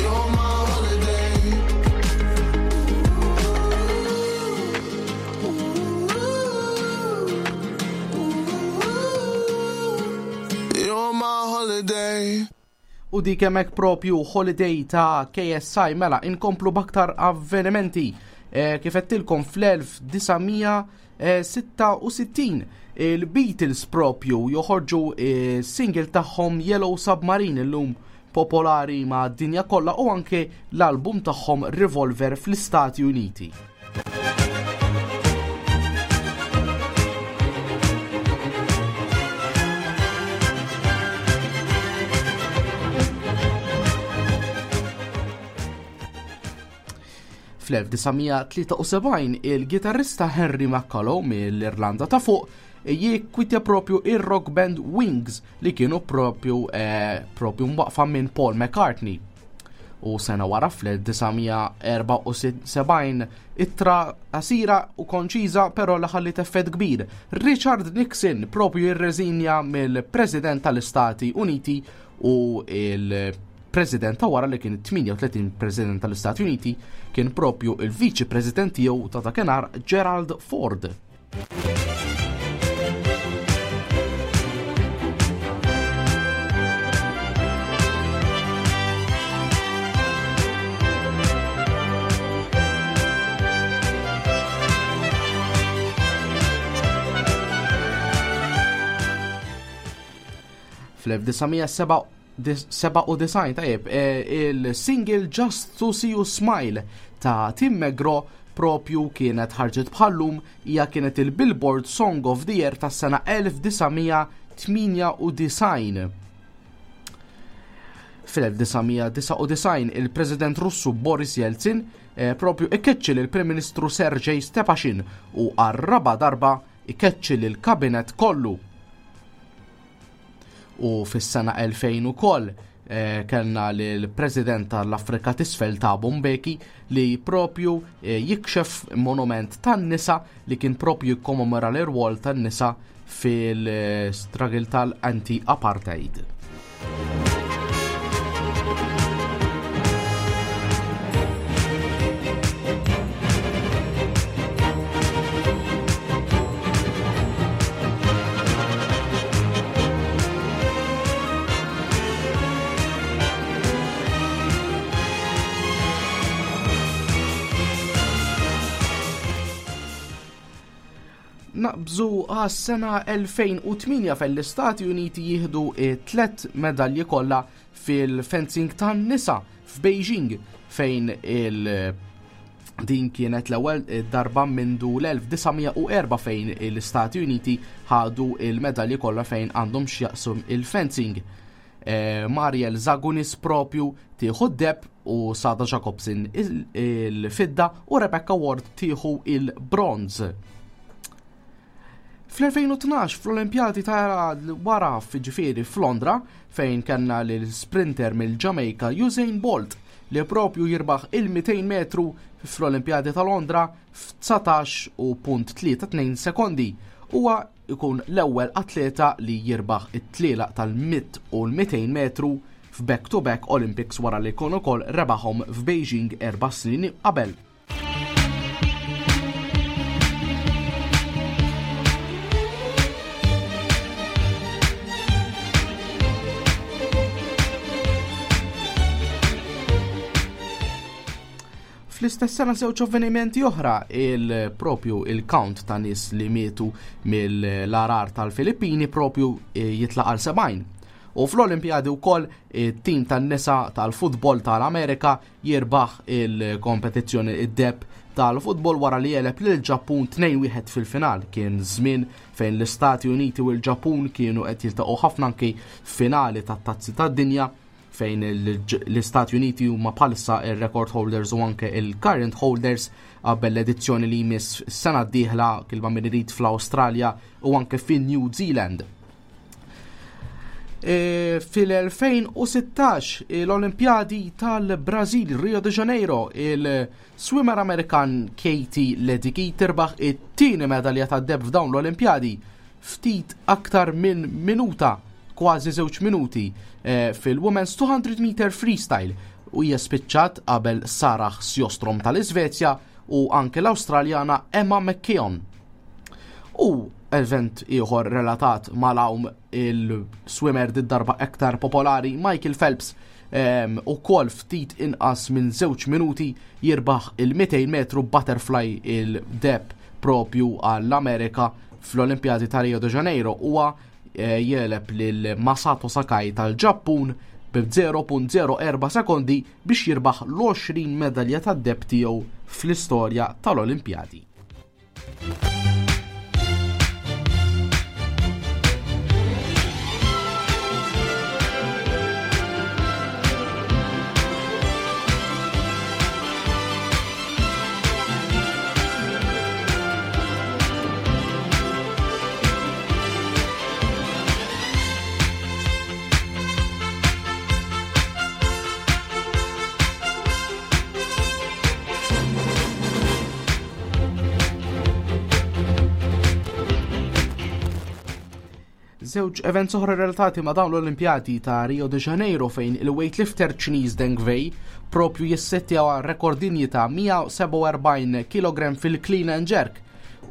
You're my holiday. You're my holiday. U dik hemmhekk propju Holiday ta' K S I. Mela inkomplu b'aktar avvenimenti. Eh, kif għedtilkom, fl-elf disa' mija sitta u sittin il-Beatles propju joħorġu eh, single tagħhom Yellow Submarine, illum popolari ma' dinja kollha, u anke l-album tagħhom Revolver fl-Istati Uniti. Fl-elf disa' mija tlieta u sebgħin il-gitarrista Henry McCullough mill-Irlanda ta' Fuq jikkwitja propju il-rock band Wings li kienu propju, eh, propju mwaqfa minn Paul McCartney. U sena wara, fl-elf disa' mija erbgħa u sebgħin, ittra qasira u konċiża però li ħallit effett kbir. Richard Nixon propju jirreżinja mill-President tal-Istati Uniti u il-President ta' wara, li kien tmienja u tletin President tal-Istati Uniti, kien propju il-Viċi President tiegħu ta' dakinhar, Gerald Ford. Fl-elf disa' mija sebgħa u disgħin, tajjeb, eh, il-single Just to See You Smile ta' Tim McGraw propju kienet ħarġet bħallum, hija kienet il-Billboard Song of the Year tas-sena elf disa' mija tmienja u disgħin. Fil-elf disa' mija disgħa u disgħin il-President Russu Boris Yeltsin eh, propju ikkeċċi lill-Prim Ministru Sergej Stepashin u għar-raba darba ikkeċċi lill-kabinet kollu. U fis-sena elfejn ukoll eh, kellna l-President tal-Afrika t'Isfel, Thabo Mbeki, li propju eh, jikxef monument tan-nisa li kien propju jikkommemora l-irwol tan-nisa fil-struggle tal-anti-apartheid. Naqbżu għas-sena elfejn u tmienja, fejn l-Istati Uniti jieħdu tlet medalji kollha fil-fencing tan-nisa f'Beijing, fejn il- din kienet l-ewwel darba mindu l-elf disa' mija u erbgħa fejn l-Istati Uniti ħadu il-medalji kollha fejn għandhom x'jaqsum il-fencing. Eh, Mariel Zagunis propju tieħu d-deheb u Sada Jacobson il-fidda u Rebecca Ward tieħu il-bronz. Fl-elfejn u tnax, fl-Olimpjadi ta' wara, ġifieri f'Londra, fejn kellna l-sprinter mill-Jamaica Usain Bolt li propju jirbaħ il-mitejn metru fl-Olimpjadi ta' Londra f'dsatax u punt tlieta tnejn sekondi. Huwa ikun l-ewwel atleta li jirbaħ it-tlielaq tal-mija u l-mitejn metru f'back-to-back Olympics wara li jkun ukoll rebaħhom f'Beijing erba' snin qabel. Fl-istess sena żewġ avvenimenti oħra, il-propju il-count ta' nies li mietu mill-għargħar tal-Filippini propju eh, jitlaq għal sebgħin. U fl-Olimpjadi wkoll it-tim tan-nisa tal-futbol tal-Amerika jirbaħ il-kompetizzjoni id-deheb tal-futbol wara li jeleb lil Ġappun tnejn wieħed fil-final. Kien żmien fejn l-Istati Uniti u l-Ġappun kienu qed jiltaqgħu ħafna anki finali tat-tazzi tad-dinja, fejn l-Istati Uniti huma bħalissa il-record holders u anke il-current holders qabel l-edizzjoni li jmiss sena d-dieħla kilba min irid fl-Awstralja u anke fin New Zealand. E, Fil-elfejn u sittax l-Olimpjadi tal-Brazil, Rio de Janeiro, il-swimmer Amerikan Katie Ledecky tirbaħ it-tieni medalja tad-deheb f'dawn l-Olimpjadi ftit aktar minn minuta, kważi żewġ minuti, eh, fil-Women's two hundred meter freestyle, u hija spiċċat qabel Sarah Sjostrom tal-Iżvezja u anke l-Awstraljana Emma McKeon. U event ieħor relatat mal-għawm, il-swimmer darba aktar popolari Michael Phelps um, u kol ftit inqas minn żewġ minuti jirbaħ il-mitejn metru butterfly il-deheb propju għall-Amerika fl-Olimpjadi ta' Rio de Janeiro. Huwa eh, jeleb lil Masato Sakai tal-Ġappun bi żero punt żero erba' sekondi biex jirbaħ l-għoxrin medalja tad-deheb tiegħu fl-istorja tal-Olimpjadi. Żewġ events oħra relatati ma' dawn l-Olimpjadi ta' Rio de Janeiro, fejn il-weightlifter Ċiniż Deng Wei propju jissettja rekord dinji ta' mija u sebgħa u erbgħin kilogramm fil-clean and jerk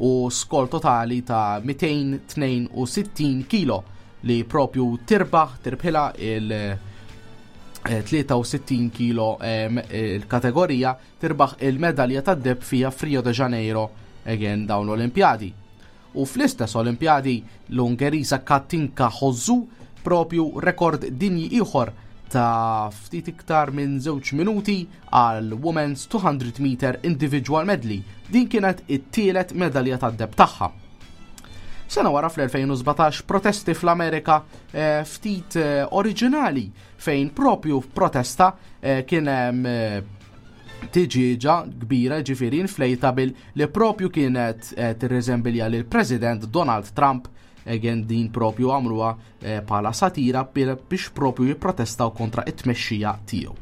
u skor totali ta' mitejn u tnejn u sittin kilo li propju tirbaħ tirbħila il- tlieta u sittin kilo il-kategorija, tirbaħ il-medalja tad-deheb fija f'Rio de Janeiro again dawn l-Olimpjadi. U fl-istess Olimpjadi l-Ungeriża Katinka Hosszú propju rekord dinji ieħor ta' ftit iktar minn żewġ minuti għal Women's two hundred meter individual medley. Din kienet it-tielet medalja tad-deheb tagħha. Sena wara fl-elfejn u sbatax protesti fl-Amerika eh, ftit eh, oriġinali, fejn propju protesta eh, kien hemm tiġiġa kbira, ġifieri inflatable, li propju kienet tirreżembilja lil President Donald Trump. Again din propju għamluha bħala satira biex propju jipprotestaw kontra it-tmexxija tiegħu.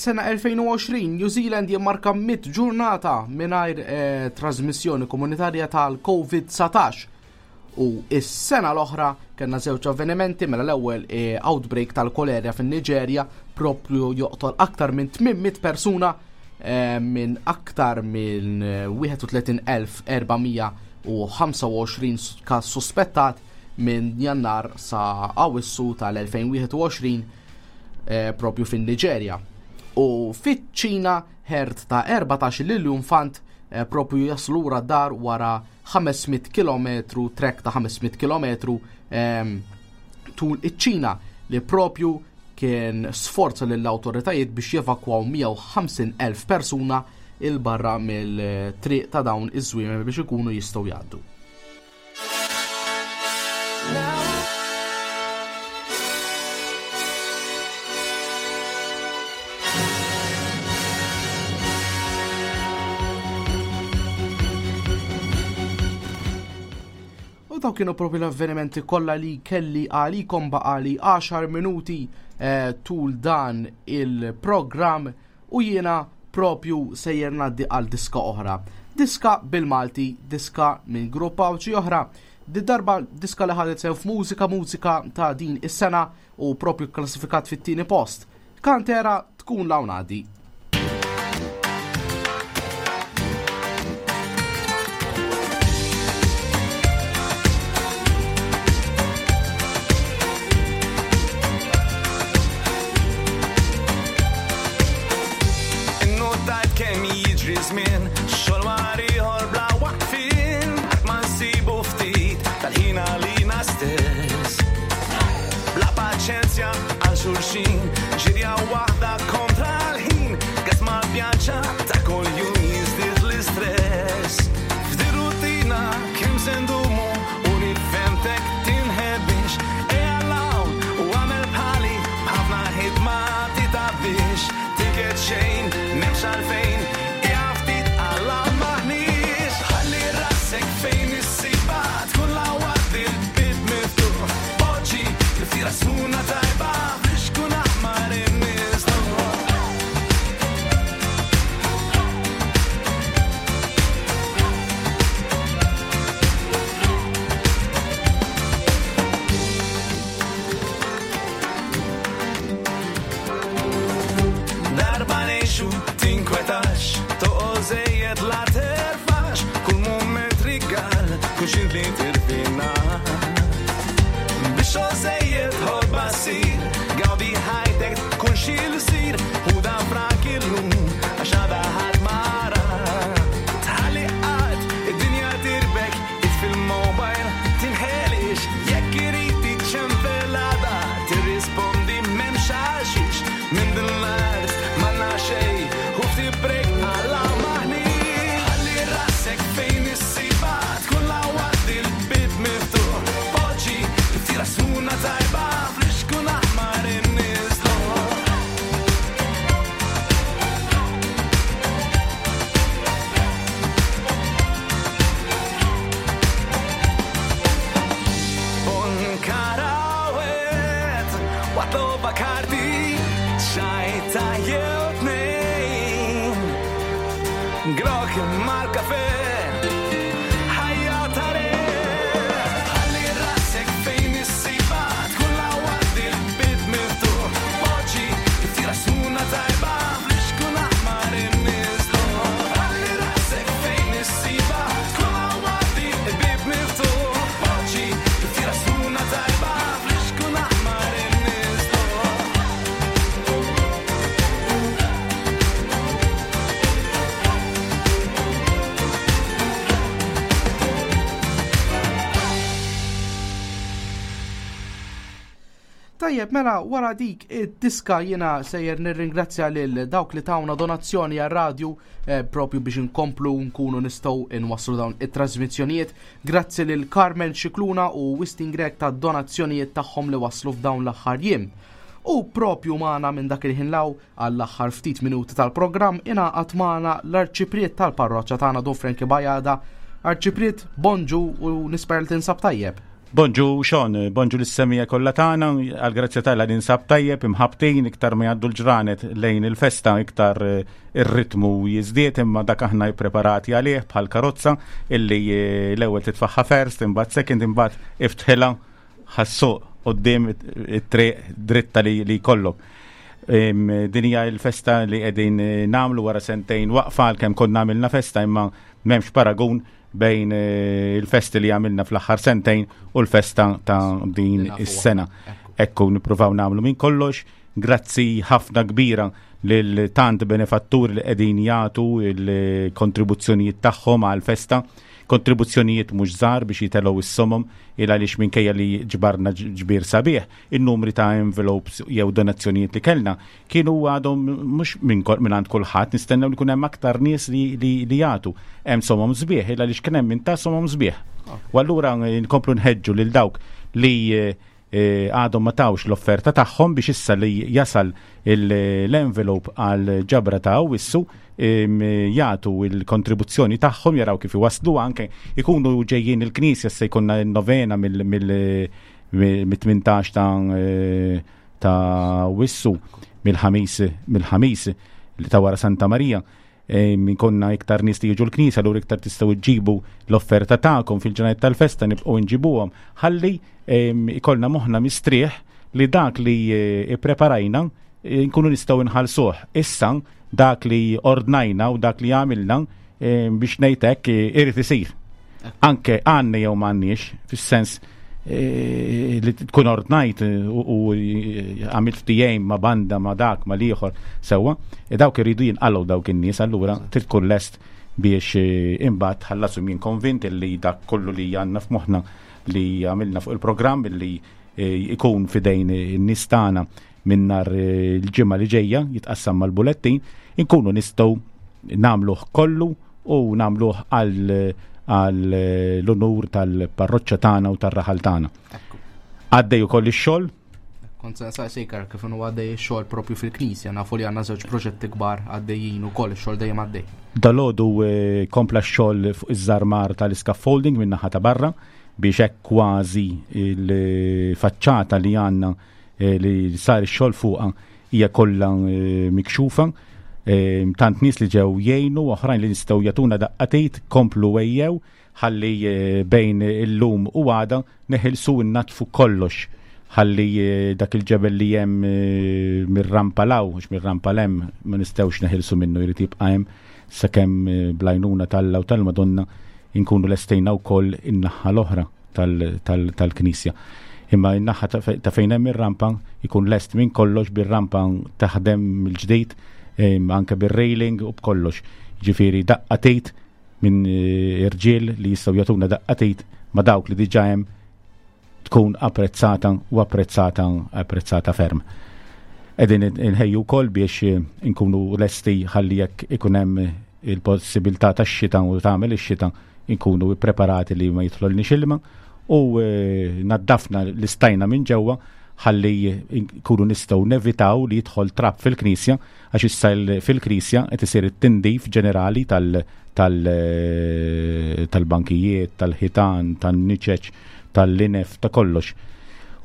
Sena elfejn u għoxrin, New Zealand jimmarka mitt ġurnata mingħajr eh, trasmissjoni komunitarja tal-Covid dsatax. U is-sena l-oħra kellna żewġ avvenimenti, mela l-ewwel eh, outbreak tal-kolerja fin-Niġerja propju joqtol aktar minn tmien mitt persuna eh, minn aktar minn wieħed u tletin elf erba' mija u ħamsa u għoxrin każ suspettat minn Jannar sa Awissu tal-elfejn u wieħed u għoxrin eh, propju fin-Niġerja. U fiċ-Ċina herd ta' erbatax l-iljunfant eh, propju jaslu lura dar wara ħames mitt kilometru, trek ta' ħames mitt kilometru ehm, tul iċ-Ċina, li propju kien sforza lill-awtoritajiet biex jevakwaw mija u ħamsin elf persuna 'il barra mill-triq ta' dawn iż-żwiemel biex ikunu jistgħu jgħaddu. U daw kienu propju l-avvenimenti kollha li kelli għalikom baqali għaxar minuti eh, tul dan il-programm u jiena propju sejjer ngħaddi għal diska oħra. Diska bil-Malti, diska minn grupp Għawdxi oħra. Di darba diska li ħadet sew f'mużika mużika ta' din is-sena u propju klassifikat fit-tieni post. Kantera tkun lawnadi. Innotajt kemm jiġri żmien, xogħol wara ieħor bla waqfien, qatt ma nsibu ftit tal-ħin għalina stess. Bla paċenzja għal xulxin, ġirja waħda kontra l-ħin, gas mal-pjanċa ta' kuljum jiżdied l-istress. F'di rutina kemm se ndumu u nifhemtek tinħebix, ejja l-hawn u għamel bħali b'ħafna ħidma titabbix, tiket xejn, m'hemmx għalfejn, ejja ftit għal maħniex. Ħalli rasek fejn issiba, tkun lawat il-bib miftuħ, poġġi l-fira suna tajba, biex kun aħmar in-nies. Darba nejxu tinkwetax, toqgħod żejjed la terfax, kull mument rigal, kull xint li tirfina. Biex żejjed ħobba ssir, gawdi ħajtek tkun xi l-sir, u dan frak illum għax għada ħadd mara. Tħalli qatt id-dinja tirbek, itfi l-mobile tinħelix, jekk irid tiċċempelada, tirrispondi m'hemmx għalxiex, minn din l-art m'għandna xejn, u ftit break għala maħniex. Ħalli rasek fejn issiba, tkun lawat il-bib miftuħ, poġġi ftira suna tajba, flixkun aħmar in-nies. Un karawet, watloba karti, xajta jew tnejn. Grok mal-kafe, ħajja tare. Ħalli rasek fejn issiba, tkun lawat il-bib miftuħ, poġġi ftira suna tajba, flixkun aħmar in-nies. Ħalli rasek fejn issiba, tkun lawat il-bib miftuħ, poġġi ftira suna tajba, flixkun aħmar in-nies. Tajjeb, mela wara dik id-diska jiena sejjer nirringrazzja lil dawk li tawna donazzjoni għar-radju eh, propju biex inkomplu nkunu nistgħu nwasslu dawn it-trasmissjonijiet. Grazzi lil Carmen Xikluna u Wistin Grek ta' donazzjonijiet tagħhom li waslu f'dawn l-aħħar jiem. U propju magħna minn dak il-ħin law għall-aħħar ftit minuti tal-programm ingħaqad magħna l-Arċipriet tal-Parroċċa tagħna Don Franki Bajada. Arċipriet, bonġu u nisper li tinsab tajjeb. Bonġu Sean, bonġu l-semija kollha tagħna, għal-grazzja tagħna ninsab tajjeb, imħabtin, iktar ma jgħaddu l-ġranet lejn il-festa, iktar eh, ir-ritmu jiżdied, imma dak aħna preparati għalih bħal karozza illi eh, l-ewwel titfaħħa first, imbagħad second, imbagħad iftħilha ħassuq qudiem it-triq dritta li, li jkollok. Em, Din hija l-festa li qegħdin eh, nagħmlu wara sentejn waqfa għalkemm konna għamilna festa imma m'hemmx paragun bejn eh, il-festi li għamilna fl-aħħar sentejn u l-festa ta' din is-sena. Ekku nippruvaw nagħmlu minn kollox. Grazzi ħafna kbira lil tant benefatturi li qegħdin jagħtu il-kontribuzzjonijiet tagħhom għall-festa. Kontribuzzjonijiet mhux żgħar biex jitelgħu is-somom, il għaliex minkejja li ġbarna ġbir sabiħ, in-numri ta' envelopes jew donazzjonijiet li kellna kienu għadhom mhux minn għand kulħadd, nistennew li jkun hemm aktar nies li, li, li jagħtu. Hemm somom sbieħ, il għaliex kien hemm min ta somom sbieħ. U allura nkomplu nħeġġu lil dawk li għadhom ma tawx l-offerta tagħhom biex issa li jasal l-envelope għal ġabra ta' Awwissu jagħtu l-kontribuzzjoni tagħhom, jaraw kif iwaslu, anke ikunu ġejjin il-knisja, se jkollna novena mill-tmintax ta' ta' Awwissu, mill-ħamis mill-ħamis li ta' wara Santa Marija. Min konna iktar nies li jiġu l-knisja, allura iktar tistgħu ġġibu l-offerta tagħkom fil-ġranet tal-festa, nibqgħu nġibuhom ħalli ikollna moħħna mistrieħ li dak li ippreparajna nkunu nistgħu nħallsuh. Issa dak li ordnajna u dak li għamilna biex ngħid hekk irid isir. Anke għandna jew m'għandniex, fis-sens li tkun ordnajt u għamilt ftehim ma' banda, ma' dak, ma' l-ieħor sewwa, dawk iridu jinqalgħu dawk in-nies, allura trid tkun lest biex imbagħad ħallasum. Jien konvint li dak kollu li għandna f'moħħna li għamilna fuq il-programm li ikun fidejn in-nies tagħna minn nhar il-ġimgħa li ġejja jitqassam mal-bulettin, inkunu nistgħu nagħmluh kollu u nagħmluh għal għal l-onur tal-parroċċa tagħna u tar-raħal tagħna. Għaddej ukoll ix-xogħol. Kont se nsaqsik kif inhu għaddej ix-xogħol propju fil-knisja, nafu li għandna żewġ proġetti kbar għaddejjin ukoll, ix-xogħol dejjem għaddej. Dalgħodu kompla x-xogħol fuq iż-żarmar tal-scaffolding minn naħa ta' barra biex hekk kważi il-faċċata li għandna li sar ix-xogħol fuqha hija kollha mikxufa. Tant nies li ġew jgħinu, oħrajn li nistgħu jagħtuna daqqatejt, komplu ejjew ħalli bejn illum u għada neħilsu nnatfu kollox, ħalli dak il-ġebel li hemm mir-rampa law, mhux mir-rampa lem, ma nistgħux neħilsu minnu, jrid jibqa' hemm sakemm bl-għajnuna tal-Alla u tal-Madonna inkunu lestejna wkoll in-naħa l-oħra tal-knisja. Imma in-naħa ta' fejn hemm ir-rampa ikun lest minn kollox, bir-rampa taħdem mill-ġdid, anke bir-railing u b'kollox. Ġifieri daqqatejt minn irġiel li jistgħu jagħtuna daqqatejt ma' dawk li diġà hemm tkun apprezzata u apprezzata apprezzata ferm. Qegħdin inħejju wkoll biex inkunu lesti ħalli jekk ikun hemm il-possibilità tax-xita u tagħmel ix-xita inkunu ppreparati li ma jidħlolniex ilma u naddafna l-istajna minn ġewwa ħalli nkunu nistgħu nevitaw li jidħol trab fil-knisja, għax issa fil-knisja qed isir it-tindif ġenerali tal-bankijiet, tal-ħitan, tan-niċeċ, tal-linef, ta' kollox.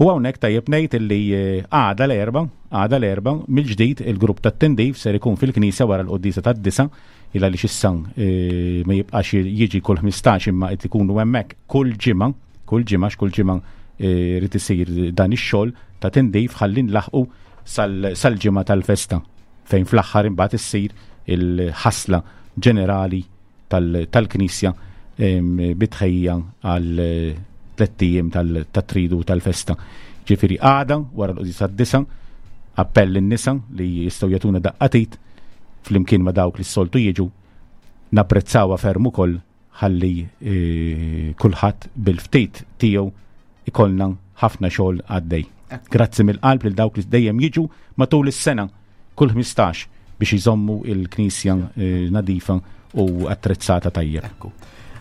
U hawnhekk tajjeb ngħid illi għada l-erba, għada l-erba, mill-ġdid il-grupp tat-tindif ser ikun fil-knisja wara l-quddiesa tad-disa, il għaliex issa ma jibqax jiġi kull ħmistax imma qed ikunu hemmhekk kull ġimgħa, kull ġimgħa, x'kull ġimgħa irid isir dan ix-xogħol ta' tindif ħalli nlaħqu sal-ġimgħa tal-festa fejn fl-aħħar imbagħad issir il-ħasla ġenerali tal-knisja bitħejja għal tlett ijiem tat-tridu tal-festa. Ġifieri għada wara l-quddiesa tad-disa, appell lin-nisa li jistgħu jagħtuna daqqatit flimkien ma' dawk li s-soltu jiġu, napprezzawha ferm ukoll ħalli kulħadd bil-ftit tiegħu ikollna ħafna xogħol għaddej. Grazzi mill-qalb lil dawk li dejjem jiġu matul is-sena kull ħmistax biex iżommu il-knisja nadifa u attrezzata tajjeb. Ekku.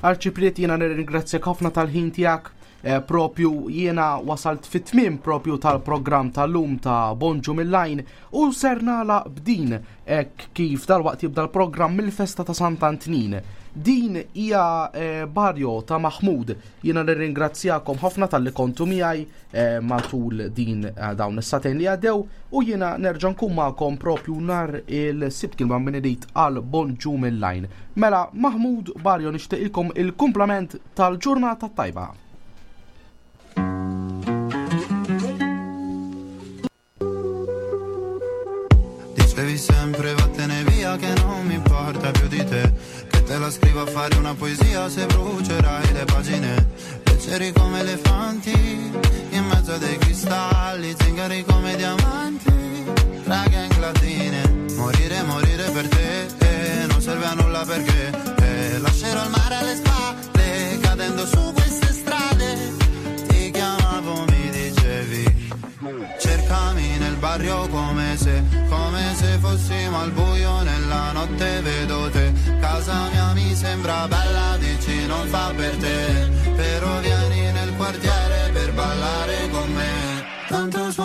Arċipriet, jiena nirringrazzjak ħafna tal-ħin tiegħek. Propju jiena wasalt fit-tmiem propju tal-programm tal-lum ta' Bonġu mill-Għajn u ser nagħlaq b'din hekk kif dalwaqt jibda l-programm mill-festa ta' Sant'Antnin. Din hija Barrio ta' Mahmood. Jiena nirringrazzjakom ħafna talli kontu miegħi matul din dawn is-satejn li għaddew u jiena nerġa' nkun magħkom propju nhar il-Sibt kien ma' Beneditt għal Bonġu mill-Għajn. Mela Mahmood Barrio nixtieqilkom il-kumplament tal-ġurnata tajba. Dicevi sempre vattene via che non mi importa più di te, che te la scrivo a fare una poesia se brucerai le pagine. Leggeri come elefanti in mezzo a dei cristalli, zingari come diamanti, tra gang latine. Morire, morire per te, eh, non serve a nulla perché eh, lascerò il mare alle spalle, barrio come se, come se fossimo al buio nella notte vedo te. Casa mia mi sembra bella, dici non fa per te, però vieni nel quartiere per ballare con me. Tanto suona